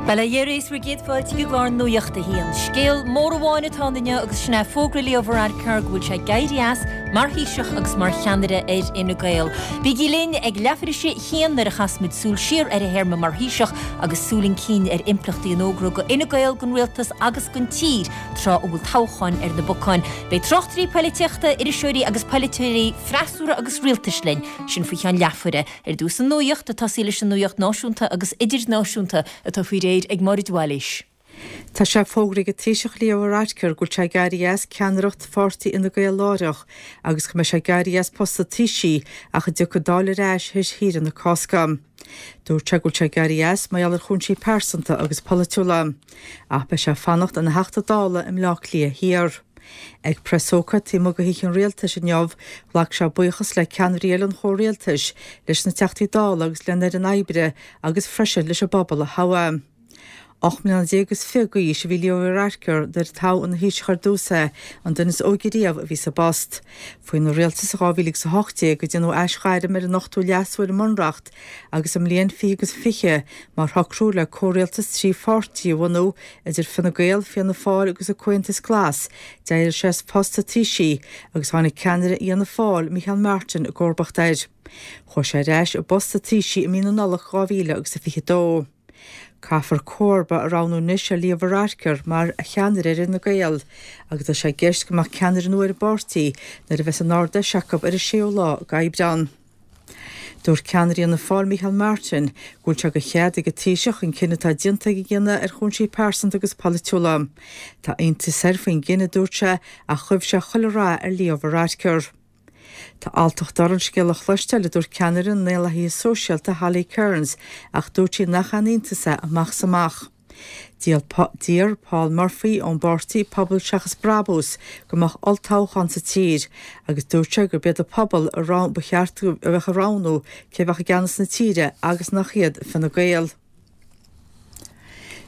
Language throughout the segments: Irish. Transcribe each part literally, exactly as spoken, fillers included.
Bail ó Dhia oraibh is bhur gcéad fáilte chuig clár Nuacht a hAon. Scéal mór amháin atá ann inniu agus sin é fógra Leo Varadkar go bhfuil sé ag éirí as mar Thaoiseach agus mar cheannaire ar Fhine Gael. Bígí linn ag leathuair tar éis a haon nuair a chasfaimid súil siar ar a théarma mar Thaoiseach agus súil chun cinn ar impleachtaí an fhógra go Fhine Gael don rialtas agus don tír tráth a bhfuil toghcháin ar na bacáin. Beidh tráchtairí polaitíochta, iriseoirí agus polaiteoirí freasúra agus rialtais linn sin faoi cheann leathuaire. Ar dtús an nuacht ag tosaí leis an nuacht náisiúnta agus idirnáisiúnta atá faoi réir ag Máiréad Bhailís. Tá sé fógartha ag an Taoiseach Leo Varadkar go bhfuil sé ag éirí as ceannaireacht pháirtí Fhine Gael láithreach agus go mbeidh sé ag éirí as post an Taoisigh ach a dtiocfaidh an Dáil ar ais théis shaoire na Cásca. Dúirt sé go bhfuil sé ag éirí as mar gheall ar chúinsí pearsanta agus polaitiúla. Ach beidh sé ag fanacht ina Theachta Dála i mBleá Cliath Thiar. Ag preasócáid taobh amuigh de Thigh an Rialtais inniu, ghlac sé buíochas le ceannairí eile an chomhrialtais, leis na Teachtaí Dála agus lena fhoireann oibre agus freisin leis an bpobal a thogh é. Ocht mbliana déag agus fiche d'aois a bhí Leo Varadkar nuair a toghadh ina Thaoiseach ar dtús é, an duine is óige riamh a bhí sa bpost. Faoina rialtas dhá mhíle agus a hocht déag a déanadh aisghairm ar an ochtú leasú ar an mbunreacht agus i mbliain fiche agus fiche mar shocrú le comhrialtas trí pháirtí a bhunú idir Fine Gael, Fianna Fáil agus an Comhaontas Glas, d'éirigh sé as post an Taoisigh agus tháinig ceannaire Fhianna Fáil, Micheál Martin, i gcomharbacht air. Chuaigh sé ar ais i bpost an Taoisigh i mí na Nollag dhá mhíle agus a fiche dó. Caithfear comharba a roghnú anois ar Leo Varadkar mar cheannaire ar Fhine Gael, agus tá sé i gceist go mbeadh ceannaire nua ar an bpáirtí nuair a bheas an Ard-Fheis acu ar an séú lá d'Aibreán. Dúirt ceannaire Fhianna Fáil Micheál Martin go bhfuil sé de chead ag an Taoiseach an cinneadh atá déanta aige a dhéanamh ar chúinsí pearsanta agus polaitiúla. Tá iontas air faoin gcinneadh, dúirt sé, ach ghuigh sé chuile rath ar Leo Varadkar. Tá alltacht orm an scéal a chloisteáil, a dúirt ceannaire na nDaonlathaithe Sóisialta Holly Cairns, ach dúirt sí nach aon iontas é amach is amach. D'iarr Paul Murphy ón bpáirtí Pobal Seachas Brabús go mbeadh olltoghchán sa tír agus dúirt sé gurb iad an pobal a ba cheart a bheith ag roghnú cé a bheadh i gceannas na tíre agus nach iad Fine Gael.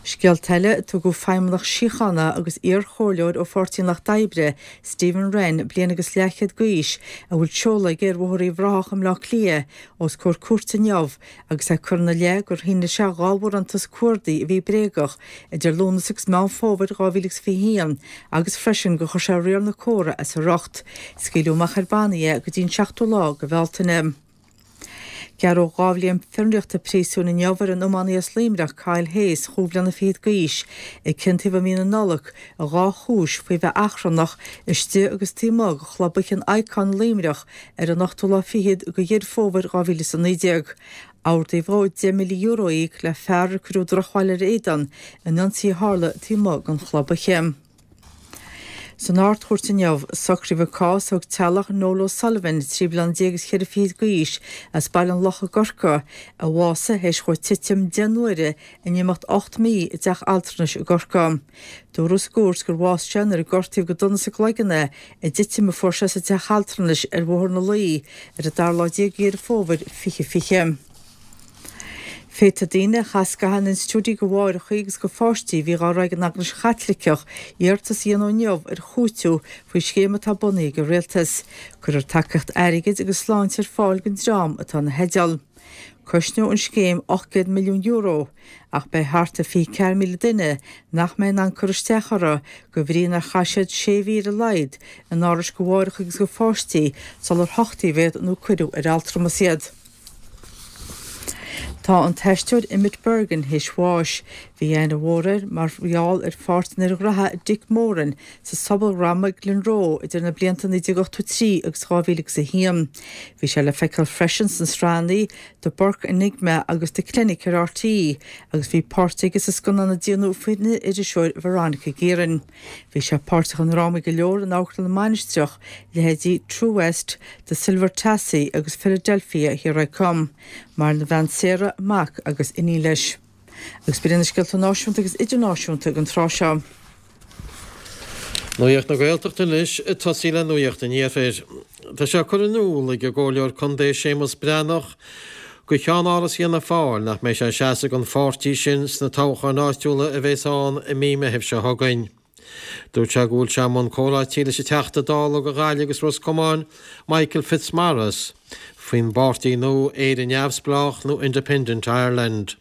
Scéalta eile, tugadh feidhmeannach síochána agus iar-chomhairleoir ó Pháirtí an Lucht Oibre, Stephen Wren, bliain agus leathchéad d'aois, a bhfuil seoladh aige ar Bhóthar Uíbh Ráthach i mBleá Cliath, os comhair cúirte inniu agus é curtha ina leith gur shínigh sé dhá bharántas cuardaigh a bhí bréagach idir Lúnasa agus Meán Fómhair dhá mhíle agus fiche a haon agus freisin gur chuir sé riar na córa as a riocht. Scaoileadh amach ar bannaí é go dtí an seachtú lá de Bhealtaine. Gearradh dhá bhliain fionraíochta príosúin inniu ar an iománaí as Luimneach, Kyle Hayes, chúig bhliana fichead d'aois, a ciontaíodh i mí na Nollag i dhá chúis faoi bheith achrannach istigh agus taobh amuigh de chlub oíche an Icon i Luimneach ar an ochtú lá fichead de Dheireadh Fómhair dhá mhíle is a naoi déag. Ordaíodh dó deich míle euro a íoc le fear ar cuireadh drochbhail ar a éadan in ionsaí a tharla taobh amuigh den chlub oíche. San Ard-Chúirt inniu, socraíodh an cás a thug teaghlach Noel O'Sullivan, trí bliana déag is ceithre fichid d'aois, as Baile an Locha i gCorcaigh, a bhásaigh théis dhó titim deich n-uaire in imeacht ocht mí i dteach altranais i gCorcaigh. Dúradh sa gcúirt gur bhásaigh sé nuair a gortaíodh go dona sa gcloigeann é i dtitim a fuair sé sa teach altranais ar Bhóthar na Laoi ar an dara lá déag de Dheireadh Fómhair fiche fiche. Féadfaidh daoine a chaith scaitheamh in institiúidí do mháithreacha agus do pháistí a bhí dhá rith ag an Eaglais Chaitliceach iarratas a dhéanamh inniu ar chúiteamh faoi scéim atá bunaithe ag an Rialtas. Cuirfear tacaíocht airgid agus sláinte ar fáil don dream atá ina theideal. Cosnóidh an scéim ocht gcéad milliún euro, ach beidh thart ar fiche ceathair míle duine nach mbeidh in ann cur isteach orthu de bhrí nár chaith siad sé mhí ar a laghad in árais do mháithreacha agus do pháistí sular huchtaíodh iad nó cuireadh ar altramas iad. Tá an t-aisteoir Emmet Bergin théis bháis. Bhí aithne mhór air mar gheall ar pháirt an fhir ghraithe Dick Moran sa sobaldhráma Glenroe idir na blianta naoi déag ochtó trí agus dhá mhíle agus a haon. Bhí sé le feiceáil freisin sna sraitheanna The Burke Enigma agus The Clinic ar RTÉ agus bhí páirt aige sa scannán a déanadh faoin iriseoir Veronica Guerin. Bhí sé páirteach i ndrámaí go leor in Amharclann na Mainistreach, leithéidí True West, The Silver Tassie agus Philadelphia Here I Come. Maireann a bhean Sarah, mac agus iníon leis. Agus b'in iad na scéalta náisiúnta agus idirnáisiúnta ag an tráth seo. Nuacht na Gaeltachta anois, ag tosaí le Nuacht an Iarthair. Tá sé curtha in iúl ag an gComhairleoir Contae Séamus Breathnach go Cheann-Áras Fhianna Fáil nach mbeidh sé ag seasamh don pháirtí sin sna toghcháin áitiúla a bheas ann i mí Meithimh seo chugainn. Dúirt sé go bhfuil sé i mbun comhráití leis an Teachta Dála do Ghaillimh agus Ros Comáin, Michael Fitzmaurice, faoin bpáirtí nua Éire Neamhspleách nó Independent Ireland.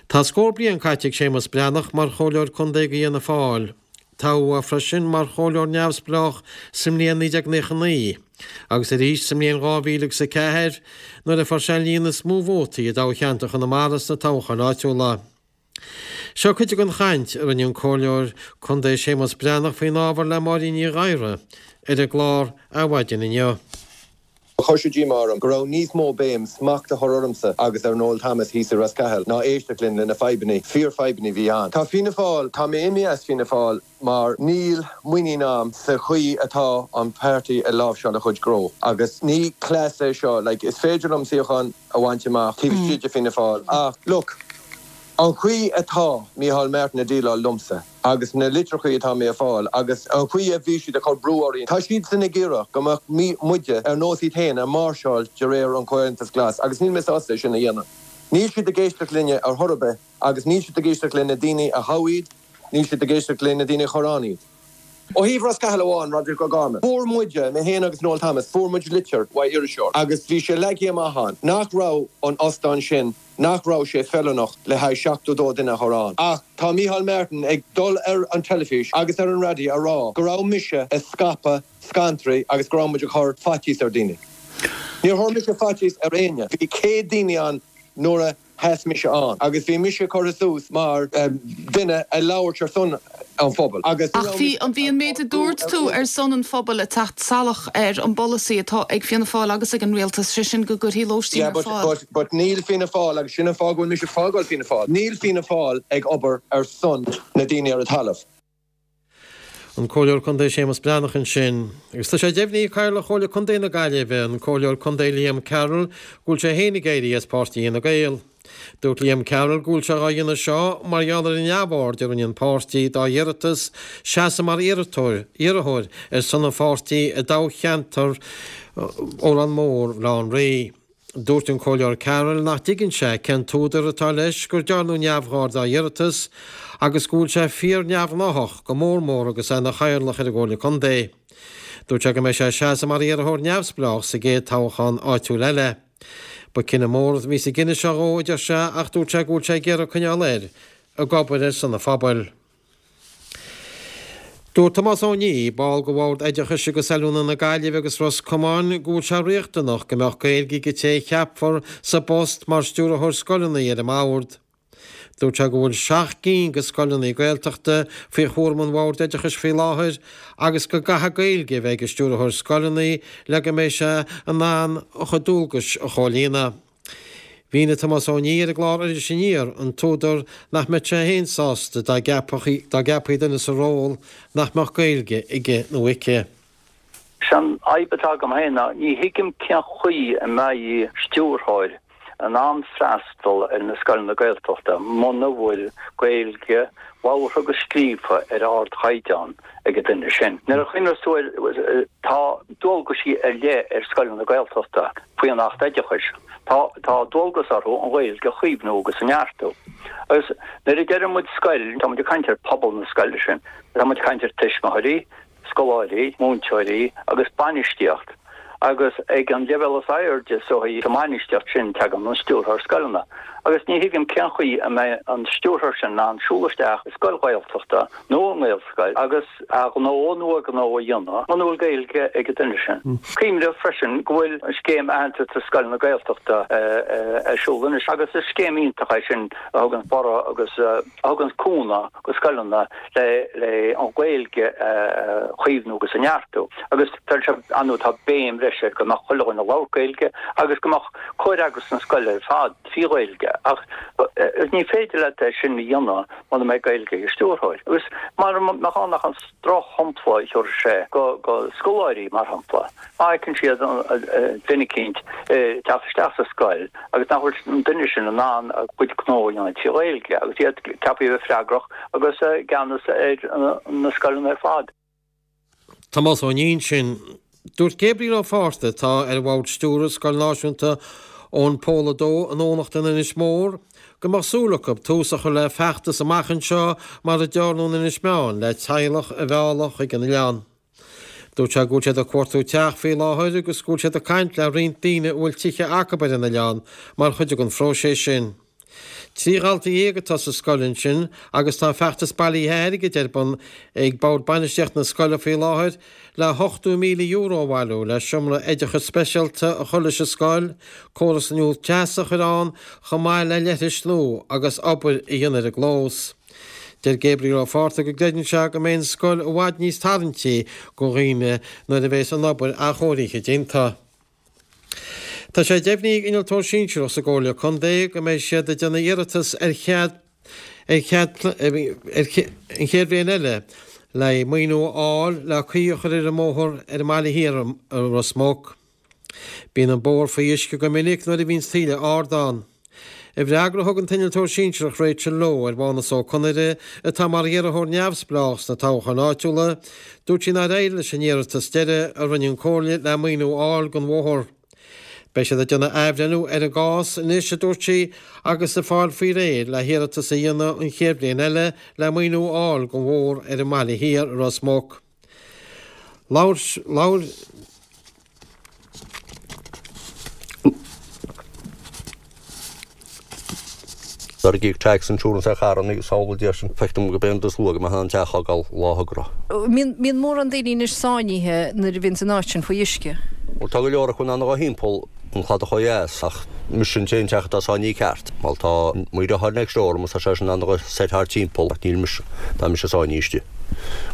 Tá scór bliain caite ag Séamus Breathnach mar chomhairleoir contae do Fhianna Fáil. Toghadh é freisin mar chomhairleoir neamhspleách sa mbliain naoi déag naocha naoi agus arís sa mbliain dhá mhíle agus a ceathair nuair a fuair sé an líon is mó vótaí i dtoghcheantar Chonamara sna toghcháin áitiúla. Seo cuid den chaint a rinne an Comhairleoir Contae Séamus Breathnach faoin ábhar le Máirín Ní Ghadhra ar an gclár Adhmhaidin inniu. Chuir sé díomá orm go raibh níos mó béim smacht a chur ormsa agus ar Noel Thomas thíos i Ros Cathail ná éisteacht linn le na fadhbanna, fíorfhadhbanna a bhí ann. Tá Fianna Fáil, tá mé imithe as Fianna Fáil mar níl muinín agam sa chaoi atá an páirtí ag láimhseáil a chuid gnó agus ní cleas é seo, like is féidir liom suíochán a bhaint amach taobh istigh de Fianna Fáil ach look, An chaoi atá Micheál Martin ag déileáil liomsa agus na litreachaí atá mé a fáil agus an chaoi a bhí siad ag cur brú orainn, tá siadsan ag iarraidh go mbeadh muide ar nós iad féin ag máirseáil de réir an Chomhaontais Glas agus níl mé sásta é sin a dhéanamh. Níl siad ag éisteacht linne ar chor ar bith agus níl siad ag éisteacht le na daoine a thogh iad, níl siad ag éisteacht le na daoine a chuir ann iad. Ó thaobh Ros Cathail amháin, Roderic O'Gorman, fuair muide, mé féin agus Noel Thomas, fuair muid litir uaidh iriseoir agus bhí sé leagtha amach ann nach raibh an óstán sin, nach raibh sé feiliúnach le haghaidh seachtó dó duine a chur ann. Ach tá Micheál Martin ag dul ar an teilifís agus ar an raidió a rá go raibh mise ag scaipeadh scantraí agus go raibh muid ag cur faitíos ar dhaoine. Níor chuir mise faitíos ar éinne. Bhí céad daoine ann nuair a sheas mise ann agus bhí mise curtha suas mar duine ag labhairt ar son an phobail agus Ach bhí an bhí an méid a dúirt tú ar son an phobail ag teacht salach ar an bpolasaí atá ag Fianna Fáil agus ag an rialtas, sé sin go gcuirfí lóistín Yeah ar but fáil. but but níl Fianna Fáil agus sin an fáth go bhfuil mise ag fágáil Fianna Fáil, níl Fianna Fáil ag obair ar son na daoine ar an talamh. An Comhairleoir Contae Séamus Breathnach ansin. Agus tá sé deimhnithe ag Cathaoirleach Chomhairle Contae na Gaillimhe, an Comhairleoir Contae Liam Carroll, go bhfuil sé féin ag éirí as páirtí Fhine Gael. Dúirt Liam Carroll go bhfuil sé á dhéanamh seo mar gheall ar an neamhaird a rinne an páirtí dá iarratas seasamh mar iarrthóir ar son an pháirtí i dtoghcheantar Órán Mór, Bhaile Átha an Rí. Dúirt an Comhairleoir Carroll nach dtuigeann sé cén t-údar atá leis gur dearnadh neamhaird dá iarratas agus go bhfuil sé fíor-neamhghnách, go mór mór agus é ina chathaoirleach ar an gComhairle Contae. Dúirt sé go mbeidh sé ag seasamh mar iarrthóir neamhspleách sa gcéad toghchán áitiúil eile. Ba cinneadh mór a bhí sa gcinneadh seo dhó, a deir sé, ach dúirt sé go bhfuil sé ag iarraidh coinneáil air ag obair ar son an phobail. Dúirt Tomás Ó Niaidh, ball de Bhord Oideachais agus Oiliúna na Gaillimhe agus Ros Comáin, go bhfuil sé riachtanach go mbeadh Gaeilge ag an té a cheapfar sa bpost mar stiúrthóir scoileanna ar an mbord. Dúirt sé go bhfuil seacht gcinn de scoileanna Gaeltachta faoi chúram an Bhoird Oideachais faoi láthair agus go gcaithfidh Gaeilge a bheith ag an stiúrthóir scoileanna le go mbeidh sé in ann a chuid dualgais a chomhlíonadh. Mhínigh Tomás Ó Niaidh ar an gclár Iris Aniar an t-údar nach mbeadh sé féin sásta dá gceapfaí duine sa ról nach mbeadh Gaeilge aige nó aici. Is an fhadhb atá agam féin ná ní thuigim cén chaoi a mbeidh stiúrthóir in ann freastal ar na scoileanna Gaeltachta muna bhfuil Gaeilge labhartha agus scríofa ar ardchaighdeán ag an duine sin. Nuair a chuimhneos tú air, tá dualgaisí ar leith ar scoileanna Gaeltachta faoi an Acht Oideachais. Tá tá dualgas orthu an Ghaeilge a chaomhnú agus a neartú. Agus nuair a deireann muid scoil, tá muid ag caint ar phobal na scoile sin. Tá muid ag caint ar tuismitheoirí, scoláirí, múinteoirí agus bainistíocht. Agus ag an leibhéal is airde sa mbainistíocht sin tagann an stiúrthóir scoileanna. Agus ní thuigim cén chaoi a mbeidh an stiúrthóir sin in ann siúl isteach i scoil Ghaeltachta nó i nGaelscoil agus a ghnó nó a gnó a dhéanamh muna bhfuil Gaeilge ag an duine sin. Cuimhnigh freisin go bhfuil an scéim aitheantais do scoileanna Gaeltachta ar siúl anois agus is scéim iontach é sin a thugann borradh agus a thugann cúnamh go scoileanna le le an Ghaeilge a chaomhnú agus a neartú. Agus tá sé ann tá béim bhreise ar go mbeadh chuile dhuine ag labhairt Gaeilge agus go mbeadh comhfhreagras na scoile ar fad trí Ghaeilge. Ach ní féidir leat é sin a dhéanamh muna mbeidh Gaeilge ag an stiúrthóir. Agus mura mbeadh ann ach an drochshampla a thabharfadh sé go go scoláirí, mar shampla, má fheiceann siad duine eicínt ag teacht isteach sa scoil agus nach bhfuil an duine sin in ann a chuid gnó a dhéanamh trí Ghaeilge agus iad ceaptha a bheith freagrach agus i gceannas ar na scoileanna ar fad. Tomás Ó Niaidh ansin. Dúirt Gabriel Ó Fátharta, atá ar bhord stiúrtha Scoil Náisiúnta Eoin Pól a Dó in Eoghanacht in Inis Mór, go mbeadh súil acu tús a chur le feachtas amach anseo mar a dearnadh in Inis Meáin le teaghlach a mhealladh chuig an oileán. Dúirt sé go bhfuil siad ag cuartú teach faoi láthair agus go bhfuil siad ag caint le roinnt daoine a bhfuil tithe acu ar an oileán mar chuid den phróiseas sin. Trí dhalta dhéag atá sa scoil ansin agus tá feachtas bailithe airgid ar bun ag Bord Bainistíochta na scoile faoi láthair le hochtó míle euro a bhailiú le seomra oideachais speisialta a chur leis an scoil, córas nua teasa a chur ann chomh maith le leithris nua agus obair a dhéanamh ar an gclós. Deir Gabriel Ó Fátharta go gcreideann sé go mbeidh an scoil i bhfad níos tarraingtí do dhaoine nuair a bheas an obair athchóirithe déanta. Tá sé deimhnithe ag innealtóir sinsearach sa gComhairle Contae go mbeidh siad ag déanamh iarratas ar chead ar chead ar an chéad bhliain eile le maoiniú a fháil le caoi a chur ar an mbóthar ar an mBaile Thiar i Ros Muc. Bíonn an bóthar faoi uisce go minic nuair a bhíonns taoille ard ann. I bhfreagra a thug an t-innealtóir sinsearach Rachel Lowe ar Mhánas Ó Conaire, atá mar iarrthóir neamhspleách sna toghcháin áitiúla, dúirt sí nár éirigh leis an iarratas deiridh a rinne an Chomhairle le maoiniú a fháil don bhóthar. Beidh siad ag déanamh athbhreithniú ar an gcás anois, a dúirt sí, agus ag fáil faoi réir le hiarratas a dhéanamh an chéad bhliain eile le maoiniú a fháil don bhóthar ar an mBaile Thiar i Ros Muc. Labhair, labhair. Nuair a d'íoc tax insurance ar charranna agus samhlaigh deir sin, feictear dom go b'é an is luath go mbeadh an teach á fhágáil lá thogra. Mbíonn mórán daoine anois sáinnithe nuair a bhíonns an áit sin faoi uisce? Bhuel tá go leor acu in ann a dhul thimpeall an chladach ó dheas ach mise an t-aon teach atá sáinnithe ceart. Bhuel tá mo dheartháir next door liom agus tá sé sin in ann a dhul soir thart timpeall ach níl mise, tá mise sáinnithe istigh.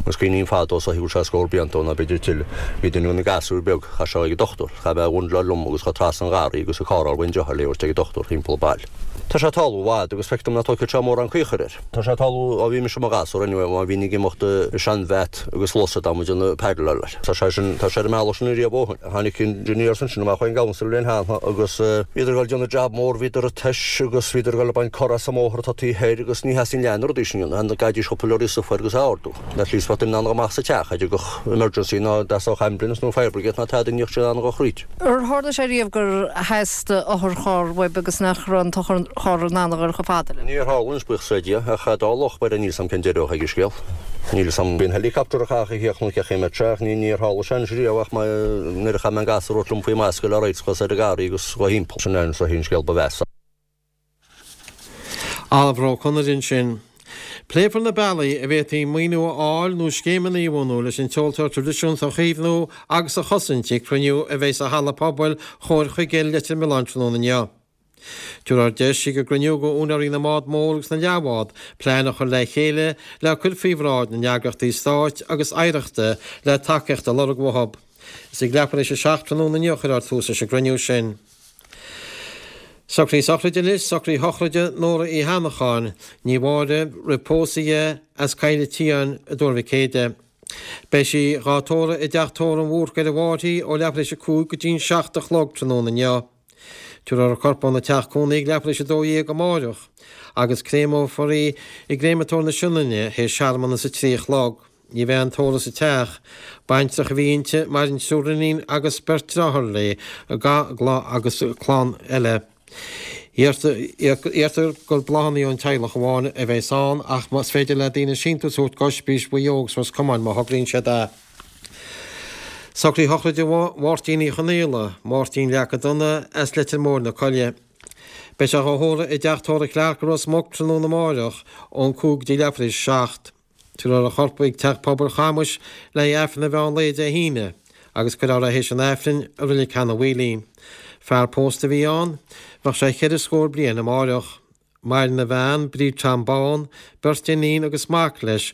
Agus cuimhním fadó is dóichí go bhfuil sé scór blianta ó nó b'fhéidir tuilleadh, bhí duine de na gasúir beag, chaith sé ag an dochtúir, chaith mé a bhundle liom agus chuaigh trasna an gharraí agus ag carráil bhain deartháir léi ag an dochtúir thimpeall an baile. Tá sé ag tarlú i bhfad agus feictear dom nach dtógfaidh sé mórán caochair air. Tá sé ag tarlú ó bhí mise i mo ghasúr anyway, má bhínn ag imeacht i sean-bhat agus lus dá mbeadh déanamh paddle air. Tá sé sin, tá sé ar an mbealach sin ariamh ó shin. Tháinig engineers ansin amach ón gcouncil linn cheana agus bhíodar ag dul déanamh jab mór, bhíodar ag tois agus bhíodar ag dul ag baint cor as an mbóthar atá taobh thoir agus ní theastaíonn leath na rudaí sin a dhéanamh, gcaithfidís cúpla leoraí stuif air agus a ardú. At least bheadh duine in ann a dhul amach sa teach, a dtiocfadh emergency ná dteastódh ambulance nó fire brigade ná tada ní bheadh siad in ann a dhul thríd. Ar tharla sé riamh gur theastaigh otharcharr uaibh agus nach raibh an t-otharcharr in ann a dhul chomh fada libh? Níor tharla anois, buíochas le Dia, ach dá luch b'fhéidir níl 'fhios a'm cén deireadh a bheadh ag an scéal. Níl 'fhios a'm, bíonn helicopter a chaith a theacht nó cé chaoi a mbeadh sé ach ní níor tharla sé anois riamh ach má nuair a chaith mé an gasúr a thabhairt liom faoi m'ascaill le raic chuas ar an gharraí agus dhá thimpeall. Sin é an scéal ba mheasa. Oliver Ó Conaire ansin. Pléifear na bealaí a bhféadfaí maoiniú a fháil nó scéimeanna a bhunú leis an ceol traidisiúnta a chaomhnú agus a chosaint ag cruinniú a bheidh sa Halla Pobail Chomhair Chuigéil Leitir Mealláin tráthnóna inniu. Tabharfar deis ag an gcruinniú do úinéirí na mbád mór agus na leathbhád plean a chur le chéile le cur faoi bhráid na n-eagraíochtaí stáit agus oidhreachta le tacaíocht a lorg uathu. Is ag leathuair tar éis a seacht tráthnóna inniu a chuirfear tús leis an gcruinniú sin. Socruithe sochraide anois, socruithe sochraide Nóra Uí hAnnacháin, ní Mháire, roimh pósadh di, as Coill an tSiáin i dTuar Mhic Éadaigh. Beidh sí dhá tórramh i dteach tórraimh an Bhúrcaigh ar an bhFairche ó leathuair tar éis a cúig go dtí'n seacht a chlog tráthnóna inniu. Tabharfar a corp óna teach cónaí ag leathuair tar éis a dó dhéag amáireach agus créamófar í i gCréamatóir na Sionainne théis searmanas a trí a chlog. Ní bheidh aon tórramh sa teach. Baintreach a bhí inti, maireann triúr iníon agus beirt deartháir léi, agus clann eile. Iarrtar gur bláthanna ón teaghlach amháin a bheas ann ach más féidir le daoine síntiús a thabhairt d'Oispís Mhaigh Eo agus Ros Comáin má thograíonn siad é. Socruithe sochraide Mháirtín Uí Chonaola, Máirtín Leaca Donna, as Leitir Móir na Coille. Beidh sé á thórramh i dteach tórraimh Clarke i Ros Muc tráthnóna amáireach ón cúig go dtí leathuair tar éis a seacht. Tabharfar a chorp chuig Teach Pobail Chamuis le haghaidh Aifreann an mheán lae Dé hAoine agus cuirfear é théis an Aifrinn i Reilig Sheanadh Mhaoilín. Fear pósta a bhí ann. Bheadh sé cheithre scór bliain amáireach. Maireann a bhean, Bríd Tom Bán, beirt iníon agus mac leis,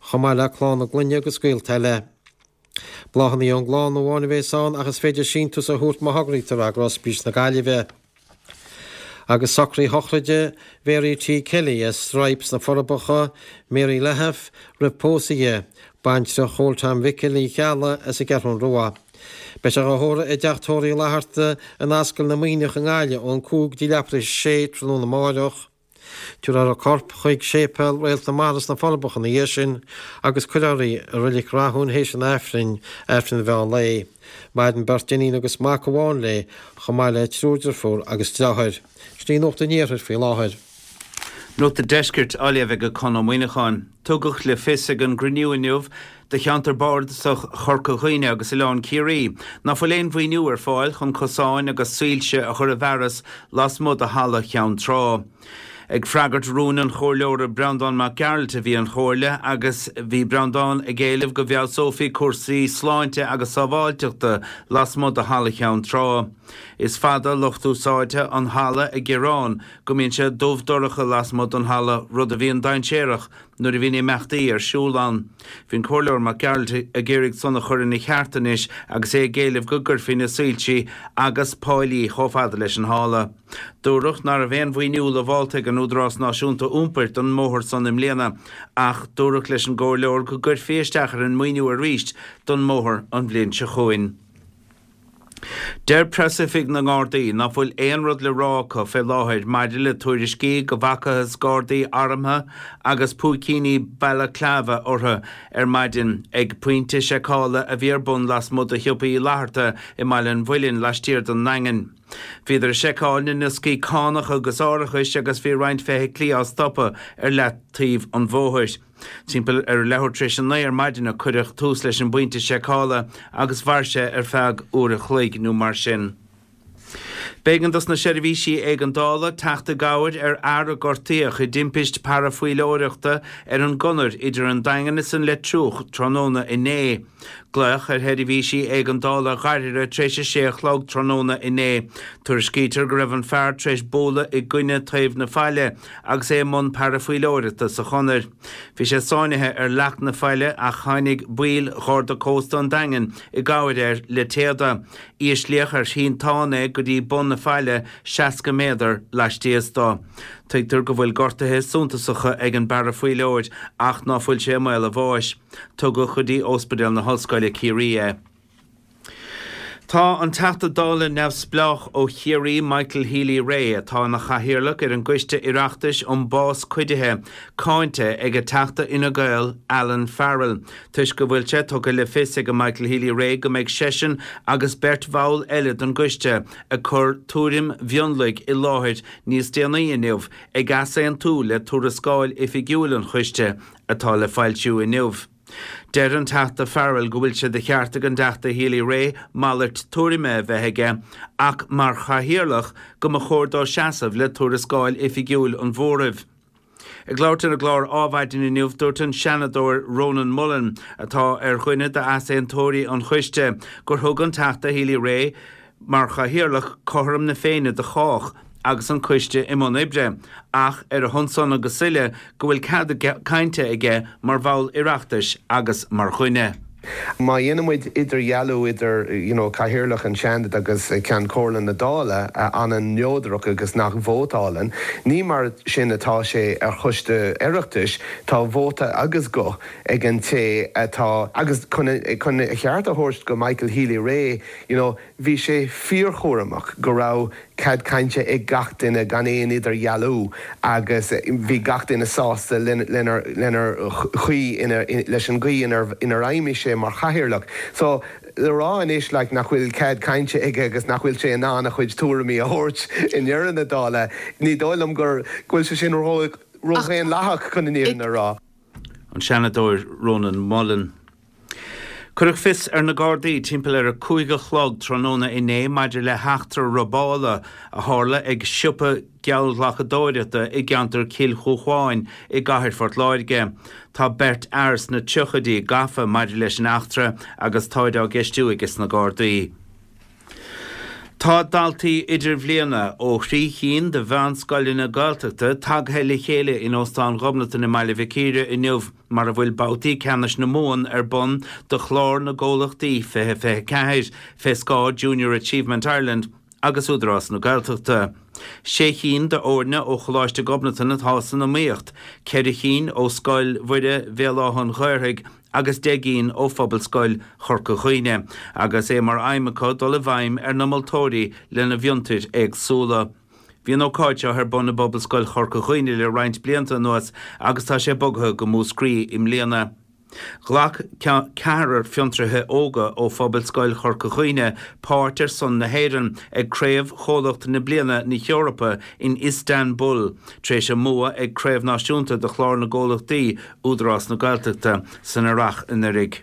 chomh maith le clann a gclainne agus gaolta eile. Bláthanna ón gclann amháin a bheas ann ach is féidir síntiús a thabhairt má thograítear é go Ospís na Gaillimhe. Agus socruithe sochraide Mhary T. Kelly as Stripes sna Forbacha, Mary Lahaff, roimh pósadh di, baintreach Chóil Tom Mhicil Uí Cheallaigh as an gCeathrún Rua. Beidh sé dhá thórramh i dteach tórraimh Uí Fhlatharta in Ascaill na Muimhneach i nGaillimh ón cúig go dtí leathuair tar éis a sé tráthnóna amáireach. Tabharfar a corp chuig Séipéal Réalt na Mara sna Forbacha ina dhiaidh sin agus cuirfear í i Reilig Rathúin théis an Aifrinn, Aifreann an mheán lae. Maireann beirt iníon agus mac amháin léi, chomh maith le triúr deirfiúr agus deartháir. Sin í Nuacht an Iarthair faoi láthair. Nuacht an Deiscirt á léamh ag Conn Ó Muíneacháin. Tugadh le fios ag an gcruinniú inniu do cheantar bardasach Chorca Dhuibhne agus Oileán Ciarraí ná fuil aon mhaoiniú ar fáil chun cosáin agus soilse a chur i bhfearas lasmuigh de Halla Cheann Trá. Ag freagairt rúin an Chomhairleora Breandán Mac Gearailt a bhí an Chomhairle agus bhí Breandán ag éileamh go bhfeabhsófaí cúrsaí sláinte agus sábháilteachta lasmuigh de Halla Cheann Trá. Is fada lucht úsáidte an halla ag gearán go mbíonn sé dubh dorcha lasmuigh den halla, rud a bhíonn dainséarach nuair a bhíonn imeachtaí ar siúl ann. Bhí an Comhairleoir Mac Gearailt ag iarraidh san a chur ina cheart anois agus é ag éileamh go gcuirfí na soilsí agus páilí chomh fada leis an halla. Dúradh nach raibh aon mhaoiniú lamhálta ag an Údarás Náisiúnta Iompair don mbóthar san i mbliana ach dúradh leis an gcomhairleoir go gcuirfí isteach ar an maoiniú arís don mbóthar an bhliain seo chugainn. Deir Preasoifig na nGardaí ná fuil aon rud le rá acu fé láthair maidir le tuairiscí go bhfacathas Gardaí armtha agus púicíní balaclava orthu ar maidin ag pointe seiceála a bhí ar bun lasmuigh de Shiopa Uí Fhlatharta i mBaile an Mhuilinn laistiar den nDaingean. Bhíodar ag seiceáil na ndioscaí cánach agus árachais agus bhí roinnt feithiclí á stopadh ar leataobh an bhóthair. Timpeall ar a leathuair tar éis a naoi ar maidin a cuireadh tús leis an bpointe seiceála agus mhair sé ar feadh uair a chloig nó mar sin. B'éigean dos na seirbhísí éigeandála teacht i gcabhair ar fhear a gortaíodh i dtimpist parafaoileoireachta ar an gconair idir an Daingean is an Leitriúch tráthnóna inné. Glaodh ar sheirbhísí éigeandála ghairthe tar éis a sé a chlog tráthnóna inné. Tuairiscítear go raibh an fear tar éis bualadh i gcoinne taobh na faille agus é i mbun parafaoileoireachta sa chonair. Bhí sé sáinnithe ar leac na faille ach tháinig baill Gharda Cósta an Daingin i gcabhair air le téada. Íslíodh ar shínteán é go dtí bun na faille seasca méadar laistíos dó. Tuigtear go bhfuil gortuithe suntasacha ag an bparafaoileoir ach ná fuil sé i mbaol a bháis. Tugadh go dtí Ospidéal na hOllscoile Ciarraí é. Tá an Teachta Dála neamhspleách ó Chiarraí Michael Healy-Rae, atá ina chathaoirleach ar an gCoiste Oireachtais um Bás Cuidithe, cáinte ag Teachta Fhine Gael Alan Farrell toisc go bhfuil sé tugtha le fios ag Michael Healy-Rae go mbeidh seisean agus beirt bhall eile den gcoiste ag cur tuairim mhionlaigh i láthair níos déanaí inniu ag easaontú le tuarascáil oifigiúil an choiste atá le foilsiú inniu. Deir an Teachta Farrell go bhfuil sé de cheart ag an dTeachta Healy-Rae malairt tuairime a bheith aige ach mar chathaoirleach go mba chóir dó seasamh le tuarascáil oifigiúil an mhóraimh. Ag labhairt ar an gclár Adhmhaidin inniu, dúirt an Seanadóir Rónán Mullen, atá ar dhuine d'easaontóirí an choiste, gur thug an Teachta Healy-Rae mar chathaoirleach cothrom na Féinne do chách agus an coiste i mbun oibre, ach ar a shon san agus uile go bhfuil cead cainte aige mar bhall Oireachtais agus mar dhuine. Má dhéanann muid idirdhealú idir you know Cathaoirleach an Seanad agus Ceann Comhairle na Dála a fhanann neodrach agus nach vótálann, ní mar sin atá sé ar choiste Oireachtais, tá vóta agus guth ag an té atá agus chun chun a cheart a thabhairt go Michael Healy-Rae you know bhí sé fíorchúramach go raibh cead cainte ag gach duine gan aon idirdhealú agus bhí gach duine sásta lenar chaoi leis an gcaoi inar fheidhmigh sé mar chathaoirleach. So le rá anois like nach bhfuil cead cainte aige agus nach bhfuil sé in ann a chuid tuairimí a thabhairt i ndeireadh na dála, ní dóigh liom go bhfuil sé sin ródhaonlathach chun an fhírinne a rá. An Seanadóir Rónán Mullen. Cuireadh fios ar na Gardaí timpeall ar a cúig a chlog tráthnóna inné maidir le heachtra robála a tharla ag siopa geallghlacadóireachta i gceantar Chill Chúcháin i gcathair Phort Láirge. Tá beirt fhear sna tríochaidí gafa maidir leis an eachtra agus táid á gceistiú aige na Gardaí. Tá daltaí idirbhliana ó thrí chinn de mheánscoileanna Gaeltachta tagtha le chéile in Óstán Ghobnatan i mBaile Mhic Íre inniu mar a bhfuil babhtaí ceannais na Mumhan ar bun do chlár na gcomhlachtaí fiche fiche ceathair, fé scáth Junior Achievement Ireland agus Údarás na Gaeltachta. Sé chinn d'fhoirne ó Choláiste Ghobnatan atá san iomaíocht, ceithre chinn ó Scoil Mhuire Bhéal Átha an Ghaorthaidh agus deich gcinn ó Phobalscoil Chorca Dhuibhne, agus é mar aidhm acu dul i bhfeidhm ar na moltóirí lena bhfiontair éagsúla. Bhí an ócáid seo ar bun i bPobalscoil Chorca Dhuibhne le roinnt blianta anuas agus tá sé bogtha go Múscraí i mbliana. Ghlac ceathrar fiontraithe óga ó Phobalscoil Chorca Dhuibhne páirt ar son na hÉireann ag Craobh Chomhlacht na Bliana na hEorpa in Istanbul tar éis a mbua ag Craobh Náisiúnta de Chlár na gComhlachtaí Údarás na Gaeltachta san Earrach anuraidh.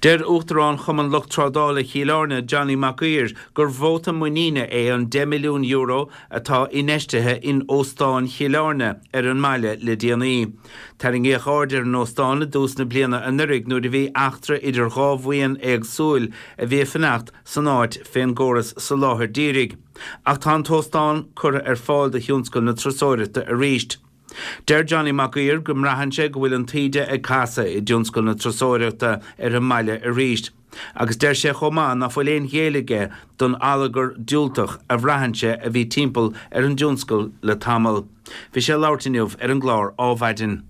Deir Uachtarán Chumann Lucht Trádála Chill Airne Johnny Mac Uidhir gur vóta muiníne é an deich milliún euro atá infheistithe in Óstán Chill Airne ar an mbaile le déanaí. Tarraingíodh aird ar an óstán i dtús na bliana anuraidh nuair a bhí eachtra idir dhá bhuíon éagsúil a bhí ag fanacht san áit fén gcóras soláthair dhírigh. Ach tá an t-óstán curtha ar fáil do thionscal na turasóireachta arís. Deir Johnny Mac Uidhir go mbraitheann sé go bhfuil an taoide ag casadh i dtionscal na turasóireachta ar an mbaile arís. Agus deir sé chomh maith ná fuil aon ghéilleadh aige don allagar diúltach a bhraitheann sé a bhí timpeall ar an dtionscal le tamall. Bhí sé ag labhairt inniu ar an gclár Ádhmhaidin.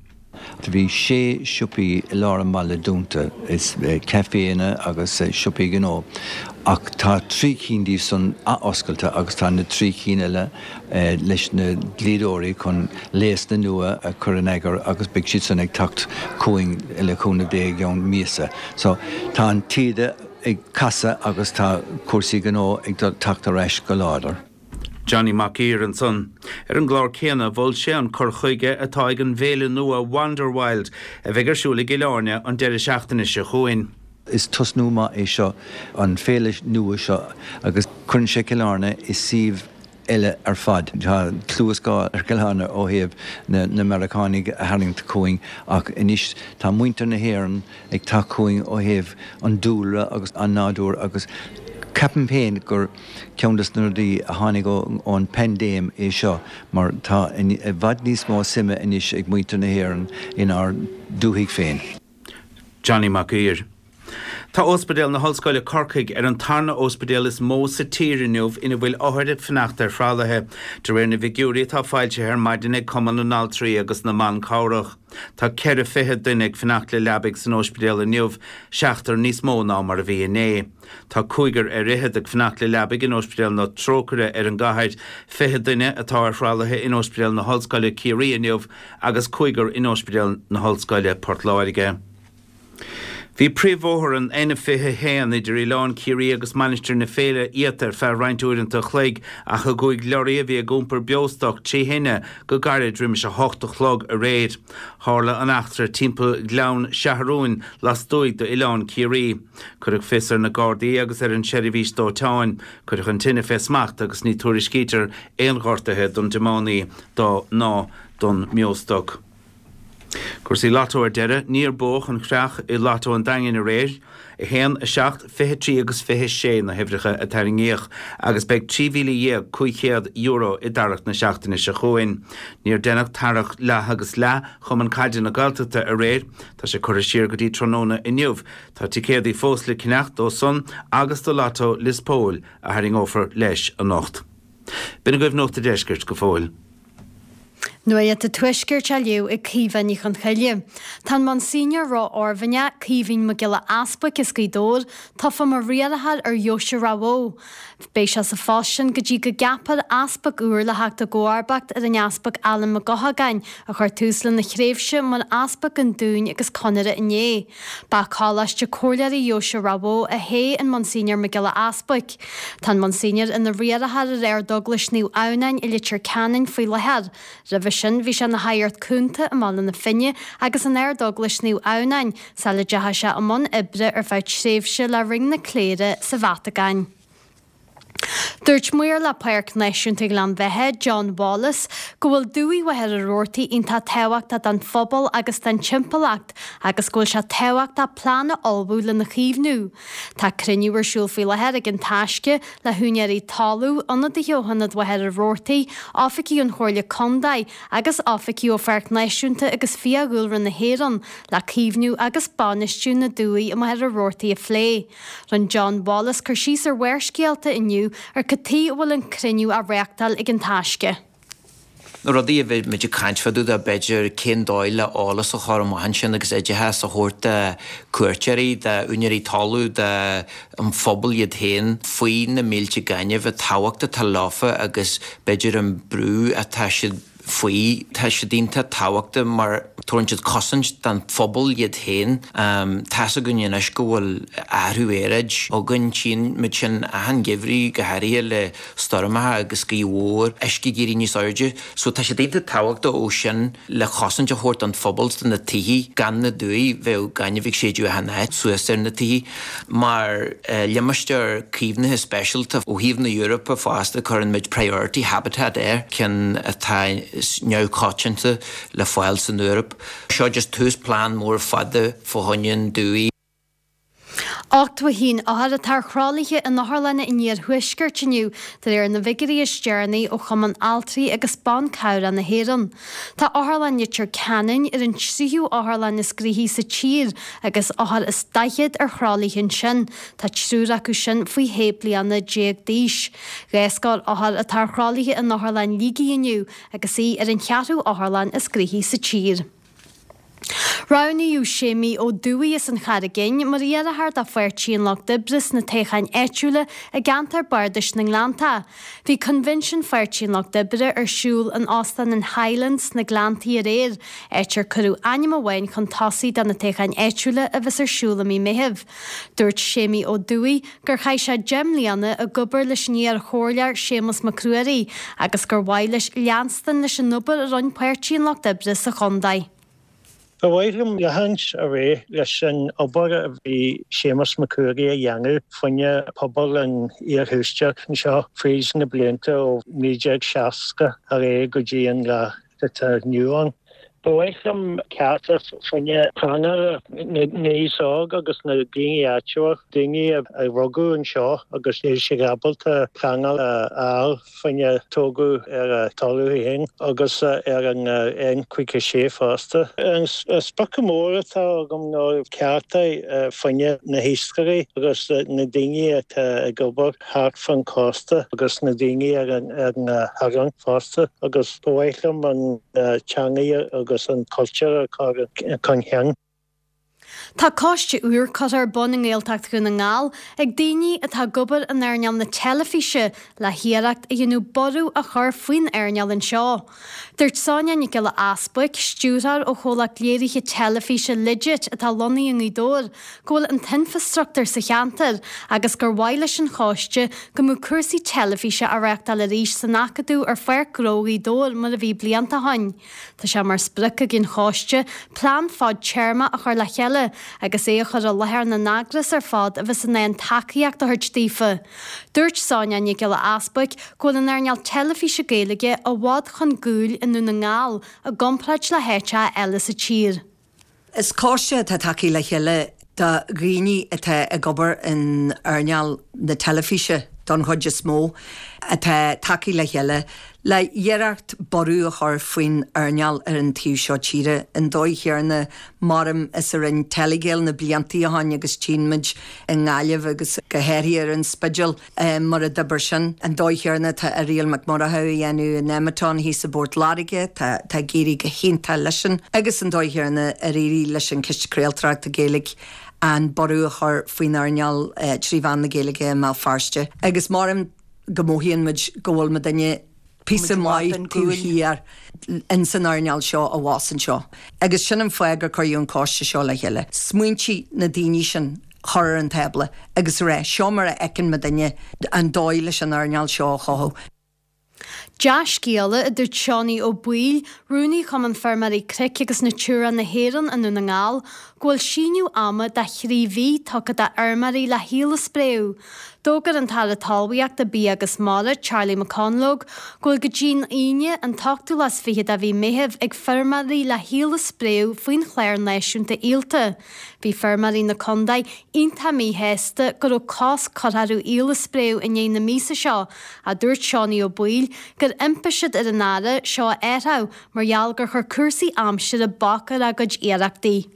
Bhí sé siopaí i lár an bhaile dúnta, is caiféanna agus siopaí gnó, ach tá trí cinn díobh san athoscailte agus tá na trí cinn eile leis na dlíodóirí chun léasanna nua a chur in eagar agus beidh siad san ag teacht chugainn le cúnamh Dé i gceann míosa. So tá an taoide ag casadh agus tá cúrsaí gnó ag teacht ar ais go láidir. Johnny Mac Uidhir ansan. Ar an gclár céanna, mhol sé an cur chuige atá ag an bhféile nua Wanderwild a bheidh ar siúl i gCill Airne an deireadh seachtaine seo chugainn. Is tosnú maith é seo, an féile nua seo, agus cuireann sé Cill Airne i suíomh eile ar fad. Tá clú is cáil ar Chill Airne ó thaobh na Meiriceánaigh a tharraingt chugainn ach anois tá muintir na hÉireann ag teacht chugainn ó thaobh an dúlra agus an nádúr agus ceapaim féin gur ceann des na rudaí a tháinig ón bpaindéim é seo mar tá i bhfad níos mó suime anois ag muintir na hÉireann inár dúthaigh féin. Johnny Mac Uidhir. Tá Ospidéal na hOllscoile Corcaigh ar an tarna ospidéal is mó sa tír inniu ina bhfuil othair ag fanacht ar thralaithe, de réir na bhfigiúirí atá foilsithe ar maidin ag Cumann na nAltraí agus na mBan Cabhrach. Tá ceithre fiche duine ag fanacht le leabaidh san ospidéal inniu, seachtar níos mó ná mar a bhí inné. Tá cúigear ar fhichead ag fanacht le leabaidh in Ospidéal na Trócaire ar an gcathair, fiche duine atá ar thralaithe in Ospidéal na hOllscoile Ciarraí inniu agus cúigear in Ospidéal na hOllscoile Port Láirge. Bhí príomhbhóthar an N fiche a haon idir Oileán Ciarraí agus Mainistir na Féile iata ar feadh roinnt uaireanta a chloig ach a gcuaigh lorraí a bhí ag iompar beostoc trí thine go gairid roimis a hocht a chlog aréir. Tharla an eachtra timpeall Ghleann Seathrúin lastuaidh d'Oileán Ciarraí. Cuireadh fios ar na Gardaí agus ar an tseirbhís dóiteáin. Cuireadh an tine fé smacht agus ní tuairiscítear aon ghortuithe don tiománaí ná don mbeostoc. Cúrsaí Lotto ar deireadh, níor buadh an chreach i Lotto an Daingin aréir. a haon, a seacht, fiche trí agus fiche sé na huimhreacha a tarraingíodh agus beidh trí mhíle dhéag cúig chéad euro i dtarrac na seachtaine seo chugainn. Níor deineadh tarrac leath agus leath Chumann Caide na Gaeltachta aréir. Tá sé curtha siar go dtí tráthnóna inniu. Tá ticéadaí fós le ceannacht dó san agus do Lotto Lios Póil a tharraingeofar leis anocht. B'in agaibh Nuacht an Deiscirt go fóill. Nuacht an Tuaiscirt á léamh ag Caoimhe Ní Chonchoille. Tá an Monsignor ró-Oirmhinneach, Caoimhín Mac Giolla Easbuic as Gaoth Dobhair, tofa mar riarthóir ar Dheoise Ráth Bhoth. Beidh sé sa phost sin go dtí go gceapfar easpag úr le theacht i gcomharbacht ar an Easpag Alan Mac Eochagáin, a chuir tús lena thréimhse mar Easpag an Dúin agus Conaire inné. Ba Choláiste Comhairleoirí Dheoise Ráth Bhoth a thoghadh an Monsignor Mac Giolla Easbuic. Tá an Monsignor ina riarthóir ar Ardeaglais Naomh Adhamhnáin i Leitir Ceanainn faoi láthair. Roimhe sin bhí sé ina shagart cúnta i mBaile na Finne agus in Ardeaglais Naomh Adhamhnáin sula dteachaigh sé i mbun oibre ar feadh tréimhse le Roinn na Cléire sa Vatacáin. Dúirt Maor le Páirc Náisiúnta Ghleann Bheatha, John Wallace, go bhfuil Dumhaigh Mhachaire Rabhartaigh iontach tábhachtach don phobal agus don timpeallacht agus go bhfuil sé tábhachtach plean a ullmhú lena chaomhnú. Tá cruinniú ar siúl faoi láthair ag An Taisce le húinéirí talún, ionadaithe ó Thionad Mhachaire Rabhartaigh, oifigigh ón Chomhairle Contae agus oifigigh ó Pháirc Náisiúnta agus Fiadhúlra na hÉireann le caomhnú agus bainistiú na dumhaí i Machaire Rabhartaigh a phlé. Rinne John Wallace cur síos ar Bharrscéalta inniu ar cad tuige a bhfuil an cruinniú á reáchtáil ag An Taisce. Na rudaí a bhí muid ag caint fá dtaobh de b'fhéidir cén dóigh le eolas a chur amach ansin agus oideachas a thabhairt do cuairteoirí, d'úinéirí talún, don phobal iad féin faoi na mílte gainimh, an tábhacht atá leofa agus b'fhéidir an brú atá siad faoi. Tá siad iontach tábhachtach mar tabharann siad cosaint don phobal iad féin. Tá's againn anois go bhfuil athrú aeráid againn, tchíonn muid sin achan gheimhreadh, go háirithe le stoirmeacha agus gaoth mhór, uisce ag éirí níos airde. So tá siad iontach tábhachtach ó sin le chosaint a thabhairt don phobal do na tithe, gan na dumhaigh bheadh gaineamh ag séideadh achan áit suas ar na tithe. Mar limistéar caomhnaithe speisialta ó thaobh na Eorpa fosta cuireann muid priority habitat air, ceann atá neamhchoitianta le fáil san Eoraip. Seo just tús plean mór fada fá choinne an dumhaigh. Ochtó a haon othar atá ar thralaithe in otharlanna an iarthuaiscirt inniu, de réir na bhfigiúirí is deireanaí ó Chumann Altraí agus Ban Cabhrach na hÉireann. Tá Otharlann Leitir Ceanainn ar an tríú otharlann is gnoithí sa tír agus othar is daichead ar thralaithe ansin. Tá triúr acu sin faoi shé bliana déag d'aois. Dhá scór othar atá ar thralaithe in Otharlann Shligigh inniu agus í ar an cheathrú otharlann is gnoithí sa tír. Roghnaíodh Séimí Ó Dubhthaigh as an Charraig Fhinn mar iarrthóir do Pháirtí an Lucht Oibre sna toghcháin áitiúla i gceantar bardais na nGleannta. Bhí coinbhinsiún Pháirtí an Lucht Oibre ar siúl in Óstán an Highlands sna Gleanntaí aréir, áit ar cuireadh ainm amháin chun tosaigh do na toghcháin áitiúla a bheas ar siúl i mí Meithimh. Dúirt Séimí Ó Dubhthaigh gur chaith sé deich mbliana ag obair leis an iar-chomhairleoir Séamus Mac Ruairí agus gur mhaith leis leanstan leis an obair a rinne Páirtí an Lucht Oibre sa chontae. Ba mhaith liom leanúint ar aghaidh leis an obair a bhí Séamus Mac Ruairí a dhéanamh fá choinne pobal an iarthuaiscirt anseo fríd na blianta ó naoi déag seasca ar aghaidh go dtí an lá atá inniu ann. Ba mhaith liom cearta fá choinne pleanála na n-aos óg agus na daoine áitiúla, daoine a rugadh anseo agus níl siad ábalta pleanáil a fháil fá choinne tógadh ar a dtalamh féin agus ar an N caoga sé fosta. An sprioc mór atá agam ná cearta fá choinne na hiascairí agus na daoine atá ag obair thart fán cósta agus na daoine ar na hoileáin fosta agus ba mhaith liom an teanga agus an cultúr a chur chun cinn. Tá coiste úr curtha ar bun i nGaeltacht Dhún na nGall ag daoine atá ag obair in earnáil na teilifíse le hiarracht a dhéanamh borradh a chur faoin earnáil anseo. Dúirt Sonia Nic Giolla Easbuic, stiúrthóir ó chomhlacht léirithe teilifíse Legit atá lonnaithe i nGaoth Dobhair, go bhfuil an t-infreastruchtúr sa cheantar agus gur mhaith leis an choiste go mbeadh cúrsaí teilifíse á reáchtáil arís san Acadamh ar Pháirc Ghnó Ghaoth Dobhair mar a bhí blianta ó shin. Tá sé mar sprioc ag an choiste plean fadtéarma a chur le chéile agus é a chur i láthair na n-eagras ar fad a bheas in ann tacaíocht a thabhairt daofa. Dúirt Sonia Nic Giolla Easbuic go bhfuil an earnáil teilifíse Gaeilge i bhfad chun cúil i nDún na nGall i gcomparáid le háiteacha eile sa tír. Is coiste atá tagtha le chéile de dhaoine atá ag obair in earnáil na teilifíse don chuid is mó atá tagtha le chéile le iarracht borradh a chur faoin earnáil ar an taobh seo tíre. An dóigh chéanna mar is a rinne Telegael na blianta ó shin agus tchíonn muid i nGaillimh agus go háirithe ar an Spidéal mar a d'oibir sin. An dóigh chéanna tá Irial Mac Murchú a dhéanamh in Nemeton thíos i bPort Láirge, tá tá ag éirí go hiontach leis sin agus an dóigh chéanna ar éirigh leis an Ciste Craoltóireachta Gaeilge an borradh a chur faoin earnáil trí mheán na Gaeilge i mBéal Feirste. Agus maram go mothaíonn muid go bhfuil muidinne píosa maith taobh thiar in san earnáil seo a bhás anseo. Agus sin an fáth gur cuireadh an coiste seo le chéile. Smaointe na daoine sin chur ar an tábla agus rá seo mar a fheiceann muidinne an dóigh leis an earnáil seo a chothú. Dea-scéala, a dúirt Seánie Ó Baoill, rúnaí Chumann Feirmeoirí Cnoic agus Natura na hÉireann i nDún na nGall, go bhfuil síneadh ama de thrí mhí tugtha d'fheirmeoirí le haoil a spréadh. D'fhógair an tAire Talmhaíochta, Bia agus Mara, Charlie McConalogue, go bhfuil go dtí'n Aoine, an t-ochtú lá is fiche de mhí Meithimh, ag feirmeoirí le haoil a spréadh faoin chlár náisiúnta ialta. Bhí feirmeoirí na contae iontach míshásta go raibh cosc curtha orthu aoil a spréadh i ndiaidh na míosa seo, a dúirt Seánie Ó Baoill gur impigh siad ar an Aire seo a athrú mar gheall gur chuir cúrsaí aimsire bac ar a gcuid iarrachtaí.